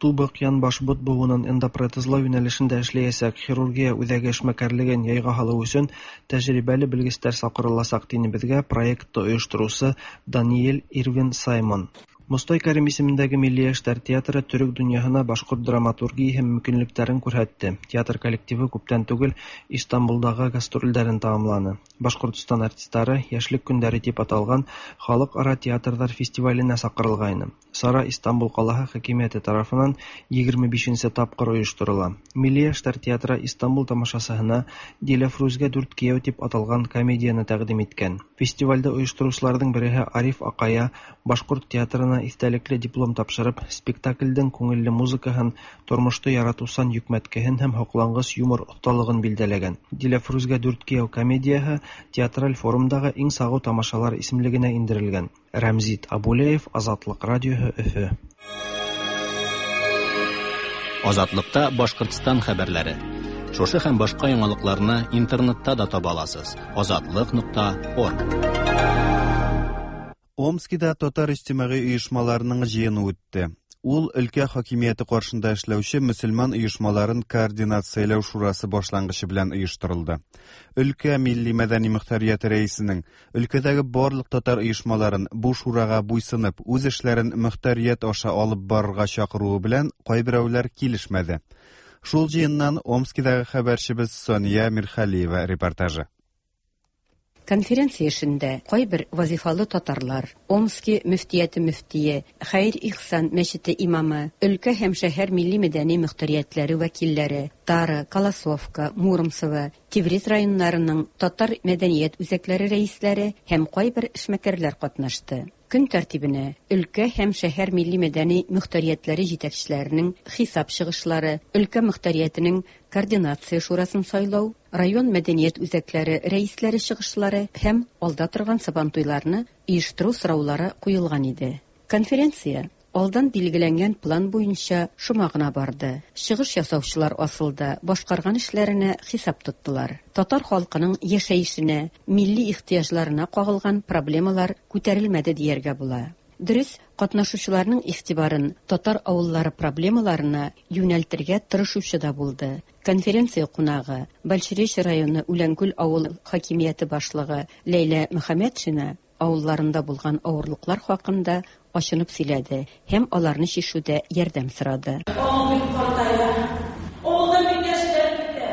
Тубык, янбаш, бот буынын эндопротезлау юнәлешендә эшләячәк хирургия үзәге эшмәкәрлеген яйга һалу өчен тәҗрибәле белгечләр чакырылачак, дине безгә проектты оештыручы Даниэль Ирвин Саймон. Мостай Кәрим исемендәге Милли яшьләр театры төрек дөньяһына башкорт драматургияһе мөмкинлекләрен күрһәтте. Театр коллективы күптән түгел Истанбулдагы гастрольләрен тәмамланы. Башкортстан артистлары Яшьлек көндәре дип аталган халыкара театрлар фестиваленә чакырылгайны. Чара Истанбул калаһы хакимияте тарафыннан 25 нче тапкыр оештырыла. Милли яшьләр театры Истанбул тамашасыһына Диләфрүзгә дүрт кияү дип аталган комедияне тәкъдим иткән. Фестивальдә оештыручыларның береһе Ариф Акая Башкорт театрына истәлекле диплом тапшырып, спектакльдең күңелле музыкаһын, тормышты яратучан йөкмәткеһен һәм һоклангыч юмор осталыгын билдәләгән. Диләфрүзгә дүрт кияү комедияһе театраль форумдагы иң сагу тамашалар исемлегенә индерелгән. Рәмзит Абулеев, Азатлык радиоһы, Өфе. Азатлыкта Башкортстан хәбәрләре. Шушы һәм башка яңалыкларны интернетта да таба аласыз. Азатлык нокта орг. Омскида татар иҗтимагый оешмаларының җыены үтте. Ул өлкә хакимияте каршында эшләүче мөселман оешмаларын координацияләү шурасы башлангычы белән оештырылды. Өлкә милли-мәдәни мөхтәрияте рәисенең өлкәдәге барлык татар оешмаларын бу шурага буйсынып, үз эшләрен мөхтәрият аша алып барырга чакыруы белән кайберәүләр килешмәде. Шул җыеннан Омскидагы хәбәрчебез Сания Мирхалиева репортажы. Конференция эшендә кайбер вазифалы татарлар, Омски мөфтияте мөфтие, Хәер-Ихсан мәчете имамы, өлкә һәм шәһәр милли-мәдәни мөхтәриятләре вәкилләре, Тара, Колосовка, Муромцево, Тевриз районнарының татар мәдәният үзәкләре рәисләре һәм кайбер эшмәкәрләр катнашты. Көн тәртибенә өлкә һәм шәһәр милли-мәдәни мөхтәриятләре җитәкчеләренең хисап чыгышлары, өлкә мөхтәриятенең координация шурасын сайлау, район мәдәният үзәкләре рәисләре чыгышлары һәм алда торган Сабантуйларны оештыру сораулары куелган иде. Конференция алдан билгеләнгән план буенча шома гына барды. Чыгыш ясаучылар асылда башкарган эшләренә хисап тоттылар. Татар халкының яшәешенә, милли ихтыяҗларына кагылган проблемалар күтәрелмәде дияргә була. Дөрес, катнашучыларның игътибарын татар авыллары проблемаларына юнәлтергә тырышучы да булды. Конференция кунагы, Большеречье районы Үләнкүл авыл хакимияте башлыгы Ләйлә Мөхәммәтшина авылларында булган авырлыклар хакында ачынып сөйләде һәм аларны чишүдә ярдәм сорады. Авыл бик картая. Авылдан бик яшьләр китә.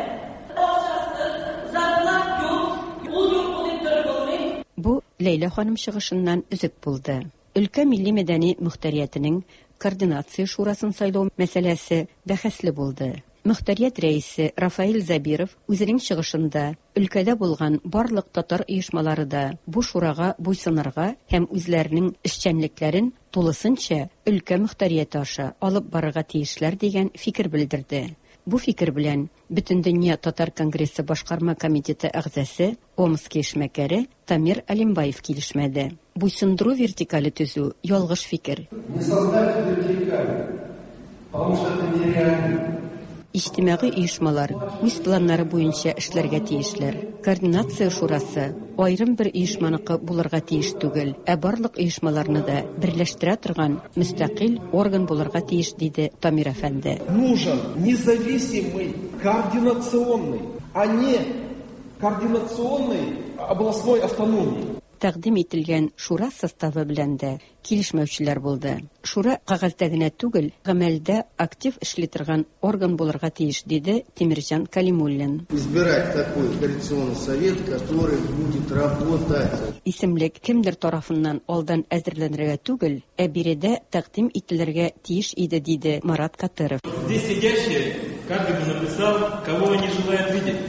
Акчасыз, зарплат юк, ул юк, бу дип торып булмый. Бу Ләйлә ханым чыгышыннан өзек булды. Өлкә милли-мәдәни мөхтәриятенең координация шурасын сайлау мәсьәләсе бәхәсле булды. Мөхтәрият рәисе Рафаэль Зәбиров үзенең чыгышында өлкәдә булган барлык татар оешмалары да бу шурага буйсынырга һәм үзләренең эшчәнлекләрен тулысынча өлкә мөхтәрияте аша алып барырга тиешләр дигән фикер белдерде. Бу фикер белән Бөтендөнья татар конгрессы башкарма комитеты әгъзасе, Омски эшмәкәре Тамир Алимбаев килешмәде. Буйсындыру вертикале төзү, ялгыш фикер. Не создать вертикаль, потому что это нереально. Иҗтимагый оешмалар үз планнары буенча эшләргә тиешләр. Координация шурасы аерым бер оешманыкы булырга тиеш түгел, ә барлык оешмаларны да берләштерә торган мөстәкыйль орган булырга тиеш, диде Тамир әфәнде. Нужен независимый координационный, а не координационный областной автономии. Тәкъдим ителгән шура составы белән дә килешмәүчеләр булды. Шура кәгазьдә генә түгел, гамәлдә актив эшли торган орган булырга тиеш, диде Тимерҗан Кәлимуллин. Избирать такой координационный совет, который будет работать. Исемлек кемдер тарафыннан алдан әзерләнергә түгел, ә биредә тәкъдим ителергә тиеш иде, диде Марат Катыров. Здесь сидящие, каждый бы написал, кого они желают видеть.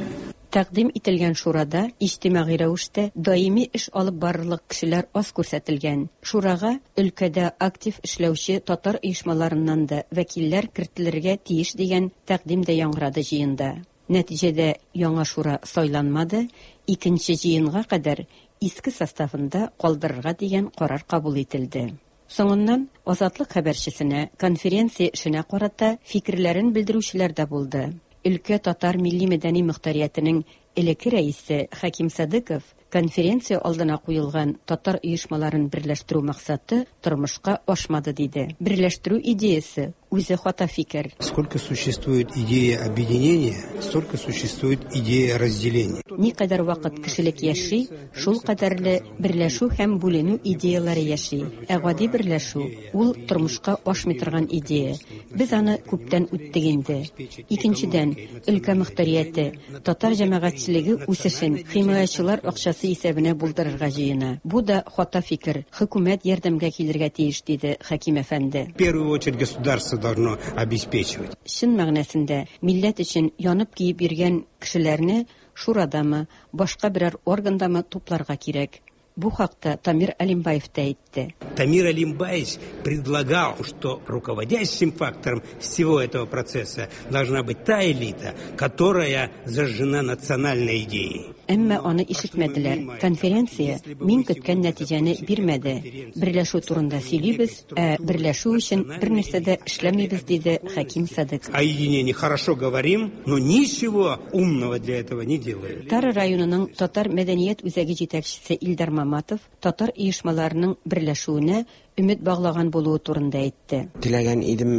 Тәкъдим ителгән шурада иҗтимагый рәвештә даими эш алып барырлык кешеләр аз күрсәтелгән. Шурага өлкәдә актив эшләүче татар оешмаларыннан да вәкилләр кертелергә тиеш дигән тәкъдим дә яңгырады җыенда. Нәтиҗәдә яңа шура сайланмады, икенче җыенга кадәр иске составында калдырырга дигән карар кабул ителде. Соңыннан Азатлык хәбәрчесенә конференция эшенә карата фикерләрен белдерүчеләр дә булды. Өлкә татар милли-мәдәни мохтариятенең элекке рәисе Хәким Садыков конференция алдына куелган татар оешмаларын берләштерү максаты тормышка ашмады диде. Берләштерү идеясе үзе хата фикер. Сколько существует идея объединения, столько существует идея разделения. Никадәр вакыт кешелек яши, шул кадәрле берләшү һәм бүленү идеяләре яши. Ә гади берләшү ул тормышка ашмый торган идея. Без аны күптән үттек инде. Икенчедән, өлкә мохтарияте татар җәмәгатьчелеге үсешен химаячылар акчасы исәбенә булдырырга җыена. Бу да хата фикер. Хөкүмәт ярдәмгә килергә тиеш, диде Хәким әфәнде. В первую очередь государство должно обеспечивать. Чын мәгънәсендә милләт өчен янып-көеп йөргән кешеләрне шурадамы, башка берәр органдамы тупларга кирәк. Бу хакта Тамир Алимбаев та әйтте. Тамир Алимбаевич предлагал, что руководящим фактором всего этого процесса должна быть та элита, которая зажжена национальной идеей. Әмма аны ишетмәделәр. Конференция мин көткән нәтиҗәне бирмәде. Берләшү турында сөйлибез, ә берләшү өчен бернәрсә дә эшләмибез, диде Хәким Садыков. О единении хорошо говорим, но ничего умного для этого не делаем. Тара районының татар мәдәният үзәге җитәкчесе Илдар Маматов татар оешмаларының берләшүенә өмет баглаган булуы турында әйтте. Теләгән идем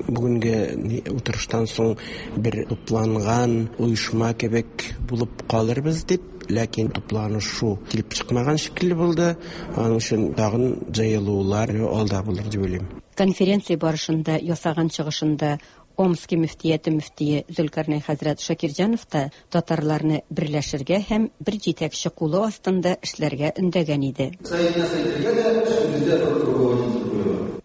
бүгенге утырыштан соң бер тупланган оешма кебек булып калырбыз дип, ләкин тупланышу килеп чыкмаган шикелле булды. Аның өчен тагын җыелулар алда булыр дип уйлыйм. Конференция барышында ясаган чыгышында Омски мөфтияте мөфтие Зөлкарнәй хәзрәт Шакирҗанов та татарларны берләшергә һәм бер җитәкче кулы астында эшләргә өндәгән иде.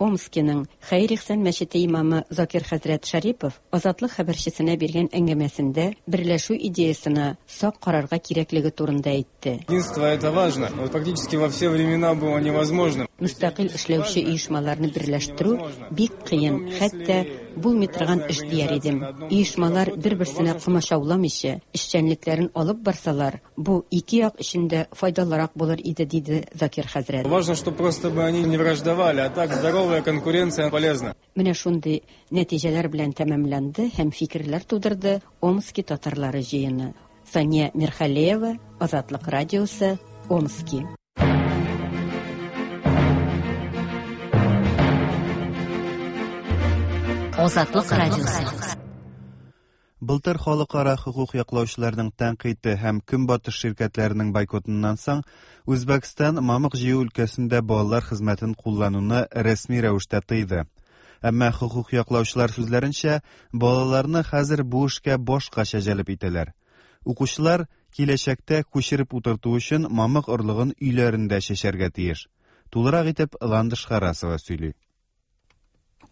Омскиның Хәер-Ихсан мәчете имамы Закир хәзрәт Шәрипов Азатлык хәбәрчесенә биргән әңгәмәсендә берләшү идеясына сак карарга кирәклеге турында әйтте. Единство это важно. Вот фактически во все времена было невозможно. Мөстәкыйль эшләүче оешмаларны берләштерү бик кыен, хәтта булмый торган эш дияр идем. Оешмалар бер-берсенә комачауламыйча эшчәнлекләрен алып барсалар, бу ике як өчен дә файдалырак булыр иде, диде Закир хәзрәт. Важно, чтобы просто бы они не враждовали, а так здоровая конкуренция полезна. Менә шундый нәтиҗәләр белән тәмамланды һәм фикерләр тудырды Омски татарлары җыены. Сания Мирхалеева, Азатлык радиосы, Омски. Азатлык радиосы. Былтыр халыкара хокук яклаучыларның тәнкыйте һәм Көнбатыш ширкәтләренең бойкотыннан соң Үзбәкстан мамык җыю өлкәсендә балалар хезмәтен куллануны рәсми рәвештә тыйды. Әмма хокук яклаучылар сүзләренчә, балаларны хәзер бу эшкә башкача җәлеп итәләр. Укучылар киләчәктә күчереп утырту өчен мамык орлыгын өйләрендә чәчәргә тиеш. Тулырак итеп Ландыш Харасова сөйли.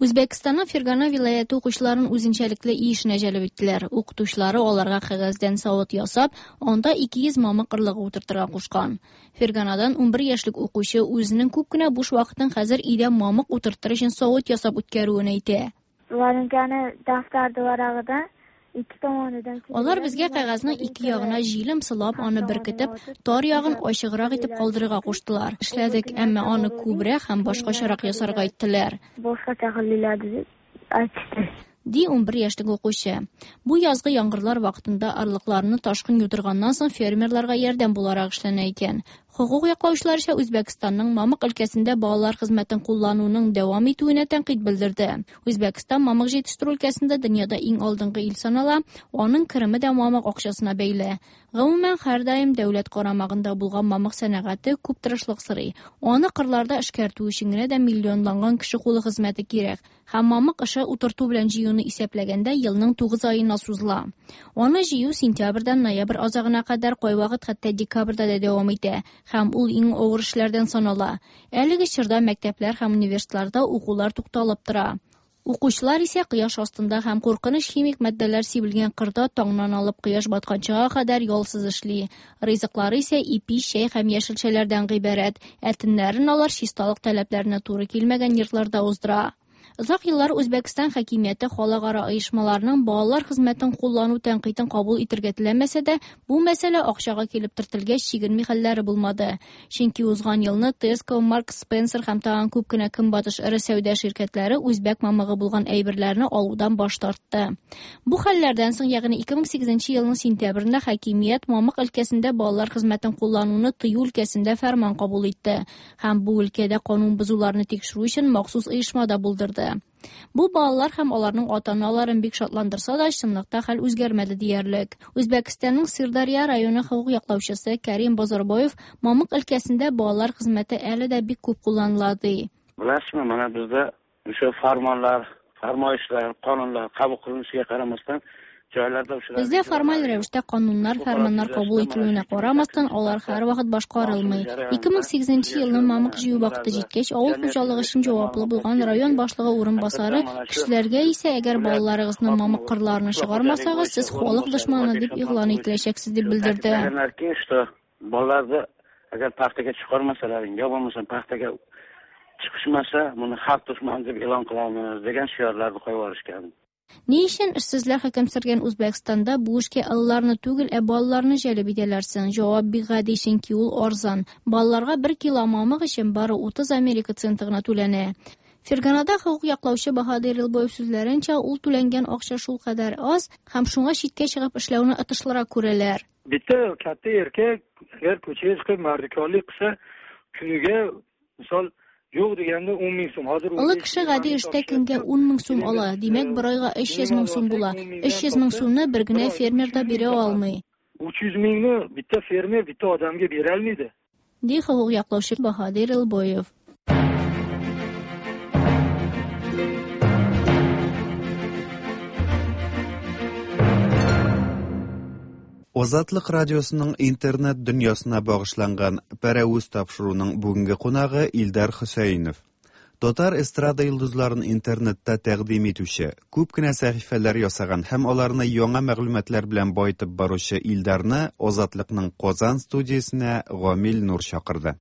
Үзбәкстанның Фергана вилаяте укучыларын үзенчәлекле эшенә җәлеп иттеләр. Укытучылары аларга кәгазьдән савыт ясап, анда 200 мамык орлыгы утыртырга кушкан. Ферганадан 11 яшьлек укучы үзенең күп кенә буш вакытын хәзер өйдә мамык утыртыр өчен савыт ясап үткәрүен әйтә. Вареньканы дафтарда варагыдан ике tomonidan Алар безгә кәгазьнең ике ягына җилем сылап, аны беркетеп, тар ягын ачыграк итеп калдырырга куштылар. Эшләдек, әмма аны күбрәк һәм башкачарак ясарга әйттеләр. Boshqacha qilinglar deb aytishdi. Ди 11 яшьлек укучы. Бу язгы яңгырлар вакытында орлыкларны ташкын юдырганнан соң фермерларга ярдәм буларак эшләнә икән. Хокук яклаучылар исә Үзбәкстанның мамык өлкәсендә балалар хезмәтен куллануның дәвам итүенә тәнкыйть белдерде. Үзбәкстан мамык җитештерү өлкәсендә дөньяда иң алдынгы ил санала, аның кереме дә мамык акчасына бәйле. Гомумән, һәрдаим дәүләт карамагында булган мамык сәнәгате күп тырышлык сорый. Аны кырларда эшкәртү өчен генә дә миллионланган кеше кулы хезмәте кирәк. Һәм мамык эше утырту белән җыюны исәпләгәндә елның 9 аена сузыла. Аны җыю сентябрьдән ноябрь азагына кадәр, кайвакыт хәтта декабрьдә дә дәвам итә. Һәм ул иң авыр эшләрдән санала. Әлеге чорда мәктәпләр һәм университетларда укулар тукталып тора. Укучылар исә кояш астында һәм куркыныч химик матдәләр сибелгән кырда таңнан алып кояш батканчыга кадәр ялсыз эшли. Ризыклары исә ипи, чәй һәм яшелчәләрдән гыйбарәт. Ә төннәрен алар чисталык таләпләренә туры килмәгән йортларда уздыра. Озак еллар Үзбәкстан хакимияте халыкара оешмаларның балалар хезмәтен куллану тәнкыйтен кабул итергә теләмәсә дә, бу мәсьәлә акчага килеп төртелгәч, чигенми хәлләре булмады. Чөнки узган елны Tesco, Marks Spencer һәм тагын күп кенә көнбатыш эре сәүдә ширкәтләре үзбәк мамыгы булган әйберләрне алудан баш тартты. Бу хәлләрдән соң, ягъни 2008 елның сентябрендә хакимият мамык өлкәсендә балалар хезмәтен куллануны тыю өлкәсендә фәрман кабул итте һәм бу өлкәдә канун бозуларны тикшерү өчен махсус оешма да булдырды. Бу балалар һәм аларның ата-аналарын бик шатландырса да, чынлыкта хәл үзгәрмәде диярлек. Үзбәкстанның Сырдарья районы хокук яклаучысы Карим Базарбоев мамык өлкәсендә балалар хезмәте әле дә бик күп кулланыла ди. Bilasizmi, mana bizda o'sha farmonlar, farmoyishlar, qonunlar qabul qilinishiga qaramasdan joylarda o'sha Бездә формаль рәвештә кануннар, фәрманнар кабул ителүенә карамастан, алар һәрвакыт башкарылмый. 2008 елның мамык җыю вакыты җиткәч, авыл хуҗалыгы өчен җаваплы булган район башлыгы урынбасары кешеләргә исә, әгәр балаларыгызны мамык кырларына чыгармасагыз, сез халык дошманы дип игълан ителәчәксез дип белдерде. Ta'kidlaganlarki, что bolalarni agar paxtaga chiqarmasalaring, yo bo'lmasa paxtaga chiqishmasa, buni xalq dushmani deb e'lon qilamiz degan shiorlarni qo'yib yuborishgan. Ни өчен эшсезләр хөкем сөргән Үзбәкстанда бу эшкә алларны түгел, ә балаларны җәлеп итәләр соң? Җавап бик гади, чөнки ул арзан. Балаларга 1 кило мамык өчен бары 30 Америка центы гына түләнә. Ферганада хокук яклаучы Баһадир Илбоев сүзләренчә, ул түләнгән акча шул кадәр аз һәм шуңа читкә чыгып эшләүне отышлырак күрәләр. Bitta katta erkak agar ko'chaga chiqib mardikorlik qilsa, kuniga misol yo'q deganda 10 ming so'm. Hozir Олы кеше гади эштә көнгә 10 мең сум ала. Димәк, бер айга 300 мең сум була. 300 мең сумны бер генә фермер да бирә алмый. 300 mingni bitta fermer bitta odamga bera olmaydi. Ди хокук яклаучы Баһадир Илбоев. Азатлык радиосының интернет дөньясына багышланган Пәрәвез тапшыруының бүгенге кунагы Илдар Хөсәенов. Татар эстрада йолдызларын интернетта тәкъдим итүче, күп кенә сәхифәләр ясаган һәм аларны яңа мәгълүматлар белән баетып баручы Илдарны Азатлыкның Казан студиясенә Гамил Нур чакырды.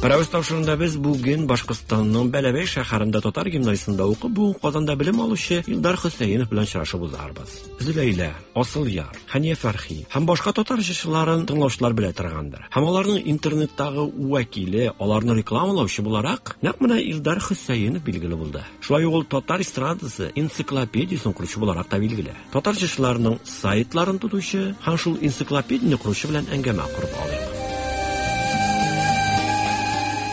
Пәрәвез тапшыруында без бүген Башкортстанның Бәләбәй шәһәрендә татар гимназиясендә укып, бүген Казанда белем алучы Илдар Хөсәенов белән очрашып узарбыз. Зөләйлә, Асылъяр, Хәния Фәрхи һәм башка татар җырчыларын тыңлаучылар белә торгандыр. Һәм аларның интернеттагы вәкиле, аларны рекламалаучы буларак, нәкъ менә Илдар Хөсәенов билгеле булды. Шулай ук ул татар эстрадасы энциклопедиясен коручы буларак та билгеле. Татар җырчыларының сайтларын тотучы һәм шул энциклопедияне коручы белән әңгәмә корып алыйк.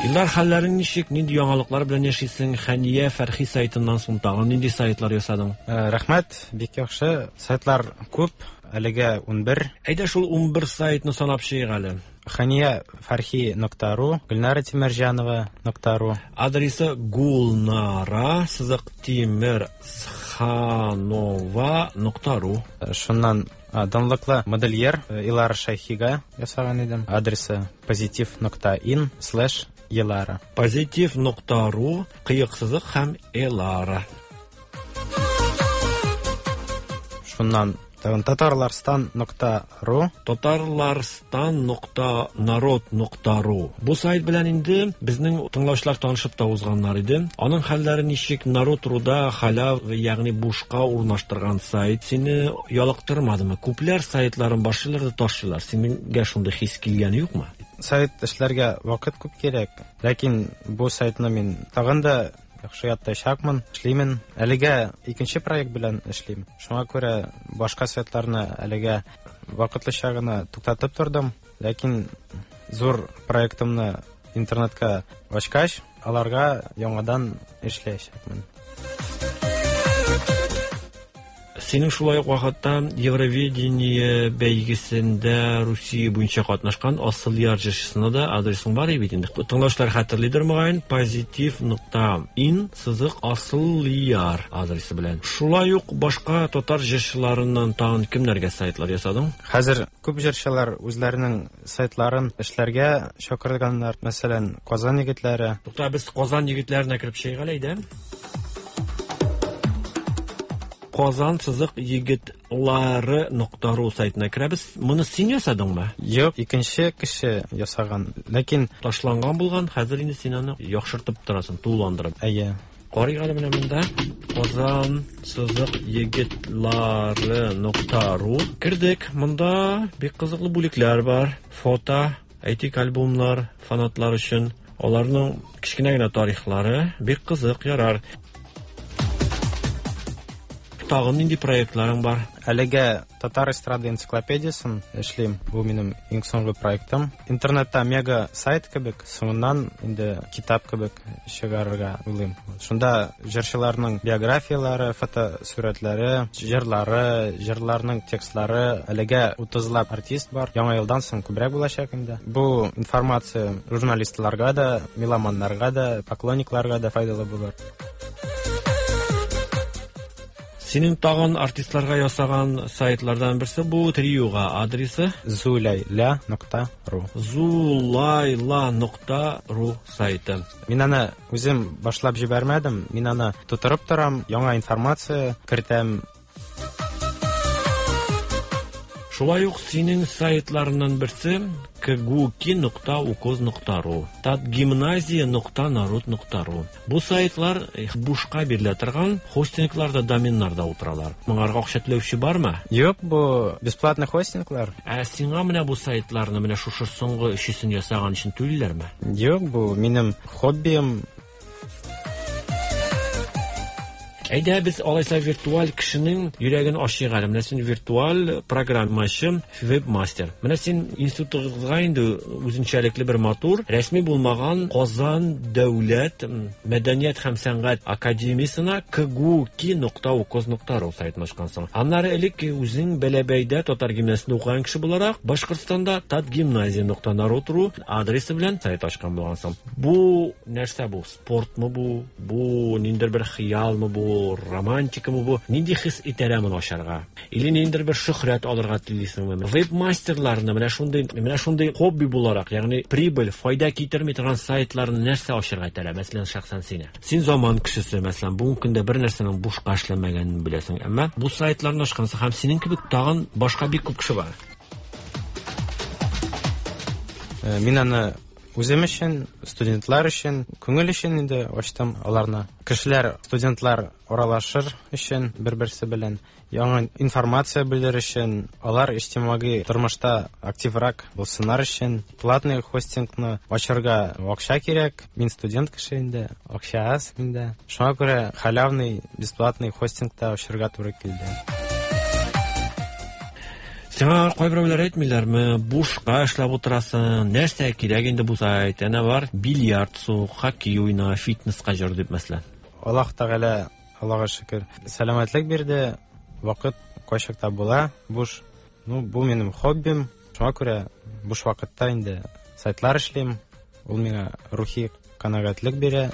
Илдар, хәлләрең ничек? Нинди яңалыклар белән яшисең? Хәния Фәрхи сайтыннан соң тагын нинди сайтлар ясадың? Рәхмәт, бик яхшы. Сайтлар күп, әлегә 11. Әйдә шул 11 сайтны санап чыгыйк әле. Хәния Фәрхи нокта ру, Гөлнара Тимерҗанова нокта ру. Адресы Гулнара сызык Тимерханова нокта ру. Шуннан данлыклы модельер Илара Шайхига ясаган идем. Адресы позитив нокта ин слэш Елара. Позитив нокта ру, кыек сызык һәм Элара. Шуннан тагын татарларстан нокта ру. Татарларстан нокта народ нокта ру. Бу сайт белән инде безнең тыңлаучылар танышып та узганнар иде. Аның хәлләре ничек? Народ руда халяв, ягъни бушка урнаштырган сайт сине ялыктырмадымы? Күпләр сайтларын башлыйлар да ташлыйлар. Синеңгә шундый хис килгәне юкмы? Сайт эшләргә вакыт күп кирәк. Ләкин бу сайтны мин тагын да яхшы яттачакмын, эшлимен. Әлегә икенче проект белән эшлим. Шуңа күрә башка сайтларны әлегә вакытлыча гына туктатып тордым. Ләкин зур проектымны интернетка ачкач, аларга яңадан эшләячәкмен. Синең шулай ук вакытта Евровидение бәйгесендә Русия буенча катнашкан Асылъяр җырчысына да адресың бар бит инде. Тыңлаучылар хәтерлидер мөгаен, позитив нокта ин сызык Асылъяр адресы белән. Шулай ук башка татар җырчыларыннан тагын кемнәргә сайтлар ясадың? Хәзер күп җырчылар үзләренең сайтларын эшләргә чакырганнар. Мәсәлән, Казан егетләре. Тукта, без Казан егетләренә кереп чыгыйк әле, әйдә. Казан сызык егетлары нокта ру сайтына керәбез. Моны син ясадыңмы? Юк, икенче кеше ясаган. Ләкин ташланган булган, хәзер инде син аны яхшыртып торасың, тулыландырып. Әйе. Карыйк әле менә монда. Казан сызык егетлары нокта ру. Кердек. Монда бик кызыклы бүлекләр бар. Фото, әйтик, альбомнар фанатлар өчен. Аларның кечкенә генә тарихлары бик кызык, ярар. Тагын нинди проектларың бар? Әлегә Татар эстрада энциклопедиясен эшлим. Бу минем иң соңгы проектым. Интернетта мега сайт кебек, соңыннан инде китап кебек чыгарырга уйлыйм. Шунда җырчыларның биографияләре, фотосурәтләре, җырлары, җырларның текстлары, әлегә 30лап артист бар. Яңа елдан соң күбрәк булачак инде. Бу информация журналистларга да, меломаннарга да, поклонникларга да файдалы булыр. Синең тагын артистларга ясаган сайтлардан берсе бу триога адресы Зулайла нокта ру. Зулайла нокта ру сайты. Мин аны үзем башлап җибәрмәдем, мин аны тутырып торам, яңа информация кертәм. Шулай ук синең сайтларыннан берсе кгуки нокта укоз нокта ру, татгимназия нокта народ нокта ру. Бу сайтлар бушка бирелә торган хостингларда, доменнарда утыралар. Моңарга акча түләүче бармы? Юк, бу бесплатный хостинглар. Ә сиңа менә бу сайтларны, менә шушы соңгы өчесен ясаган өчен түлиләрме? Юк, бу минем хоббием. Әйдә, без алайса виртуаль кешенең йөрәген ачыйк әле. Менә син виртуаль программачы, веб-мастер. Менә син институтыгызга инде үзенчәлекле бер матур, рәсми булмаган Казан дәүләт мәдәният һәм сәнгать академиясенә кгуки нокта укоз нокта ру сайтын ачкансың. Аннары элек үзең Бәләбәйдә татар гимназиясендә укыган кеше буларак, Башкортстанда татгимназия нокта народ ру адресы белән сайт ачкан булгансың. Бу нәрсә бу? Спортмы бу? Бу ниндидер бер хыялмы бу? Романтикамы бу? Нинди хис итәрә моны ачарга? Или ниндидер бер шөһрәт алырга телисеңме? Веб-мастерларны менә шундый, менә шундый хобби буларак, ягъни прибыль, файда китерми торган сайтларны нәрсә ачарга итәрә? Мәсәлән, шәхсән сине. Син заман кешесе, мәсәлән, бүгенге көндә бер нәрсәнең бушка эшләмәгәнен беләсең. Әмма бу сайтларны ачкансың һәм синең кебек тагын башка бик күп кеше бар. Мин аны үзем өчен, студентлар өчен, күңел өчен инде ачтым аларны. Кешеләр, студентлар аралашыр өчен бер-берсе белән, яңа информация белер өчен, алар иҗтимагый тормышта активрак булсыннар өчен, платный хостингны ачарга акча кирәк. Мин студент кеше инде, акча аз миндә. Шуңа күрә халявный, бесплатный хостингта ачарга туры килде. Сиңа кайберәүләр әйтмиләрме, бушка эшләп утырасың, нәрсә кирәк инде бу сайт, әнә бар, бильярд сук, хоккей уйна, фитнеска җөр дип, мәсәлән. Аллаһ Тәгалә, Аллага шөкер, сәламәтлек бирде, вакыт кайчакта була, буш. Ну, бу минем хоббим, шуңа күрә буш вакытта инде сайтлар эшлим, ул миңа рухи канәгатьлек бирә.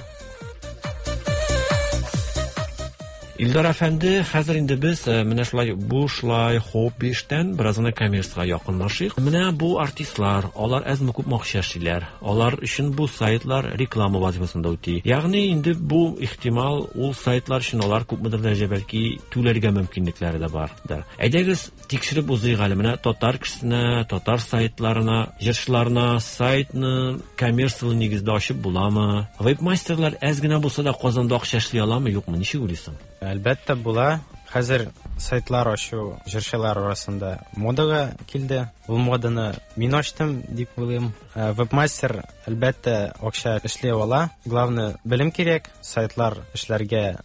Илдар әфәнде, хәзер инде без менә шулай бушлай хобби эштән бераз гына коммерциягә якынлашыйк. Менә бу артистлар, алар әзме күпме акча эшлиләр. Алар өчен бу сайтлар реклама вазифасын да үти. Ягъни инде бу ихтимал, ул сайтлар өчен алар күпмедер дәрәҗә бәлки түләргә мөмкинлекләре дә бардыр. Әйдәгез, тикшереп узыйк әле. Менә татар кешесенә, татар сайтларына, җырчыларына сайтны коммерцияле нигездә ачып буламы? Веб-мастерлар әз генә булса да Казанда акча эшли аламы, юкмы? Ничек уйлыйсың? Әлбәттә була. Хәзер сайтлар ачу җырчылар арасында модага килде. Ул моданы мин ачтым дип уйлыйм. Веб-мастер әлбәттә акча эшли ала. Главное, белем кирәк, сайтлар эшләргә.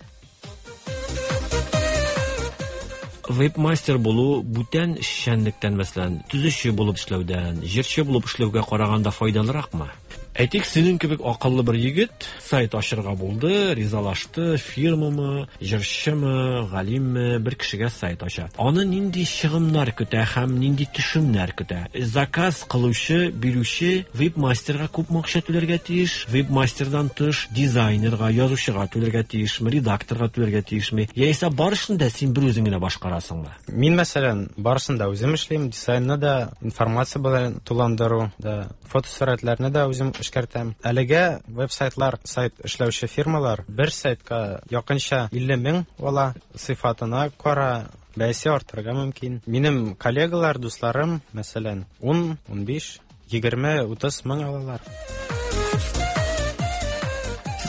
Веб-мастер булу бүтән эшчәнлектән, мәсәлән, төзүче булып эшләүдән, җырчы булып эшләүгә караганда файдалыракмы? Әйтик, синең кебек акыллы бер егет сайт ачырга булды, ризалашты, фирмамы, җырчымы, галимме, бер кешегә сайт ача. Аны нинди чыгымнар көтә һәм нинди төшемнәр көтә? Заказ кылучы, бирүче веб-мастерга күпме акча түләргә тиеш? Веб-мастердан тыш дизайнерга, язучыга түләргә тиешме, редакторга түләргә тиешме? Яисә барысын да син бер үзең генә башкарасыңмы? Мин, мәсәлән, барысын да үзем эшлим, дизайнны да, информация белән туландыру да, фотосурәтләрне дә үзем эшкәртәм. Әлегә веб-сайтлар, сайт эшләүче фирмалар бер сайтка якынча 50 мең ала, сыйфатына кара бәясе артырга мөмкин. Минем коллегалар, дусларым, мәсәлән, 10, 15, 20, 30 мең алалар.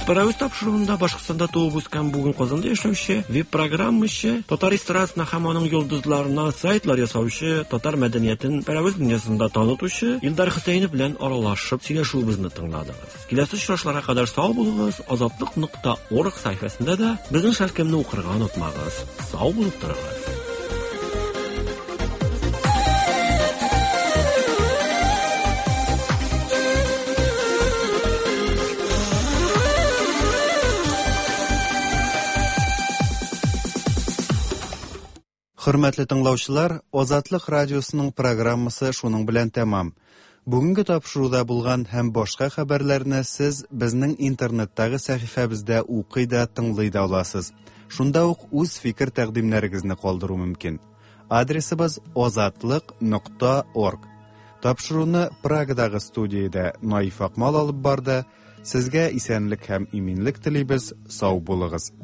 Паравыз тапшыруында Башкортстанда туып үскән, бүген Казанда яшәүче веб-программачы, татар эстрадасына һәм аның йолдызларына сайтлар ясаучы, татар мәдәниятен Пәрәвез дөньясында танытучы Илдар Хөсәенов белән аралашып сөйләшүебезне тыңладыгыз. Киләсе очрашларга кадәр сау булыгыз, азатлык.орг сәхифәсендә дә безнең шәлкемне укырга онытмагыз. Сау булып торыгыз. Хөрмәтле тыңлаучылар, Азатлык радиосының программасы шуның белән тәмам. Бүгенге тапшыруда булган һәм башка хәбәрләрне сез безнең интернеттагы сәхифәбездә укый да, тыңлый да аласыз. Шунда ук үз фикер-тәкъдимнәрегезне калдыру мөмкин. Адресыбыз азатлык.орг. Тапшыруны Прагадагы студиядә Наиф Акмал алып барды. Сезгә исәнлек һәм иминлек телибез. Сау булыгыз.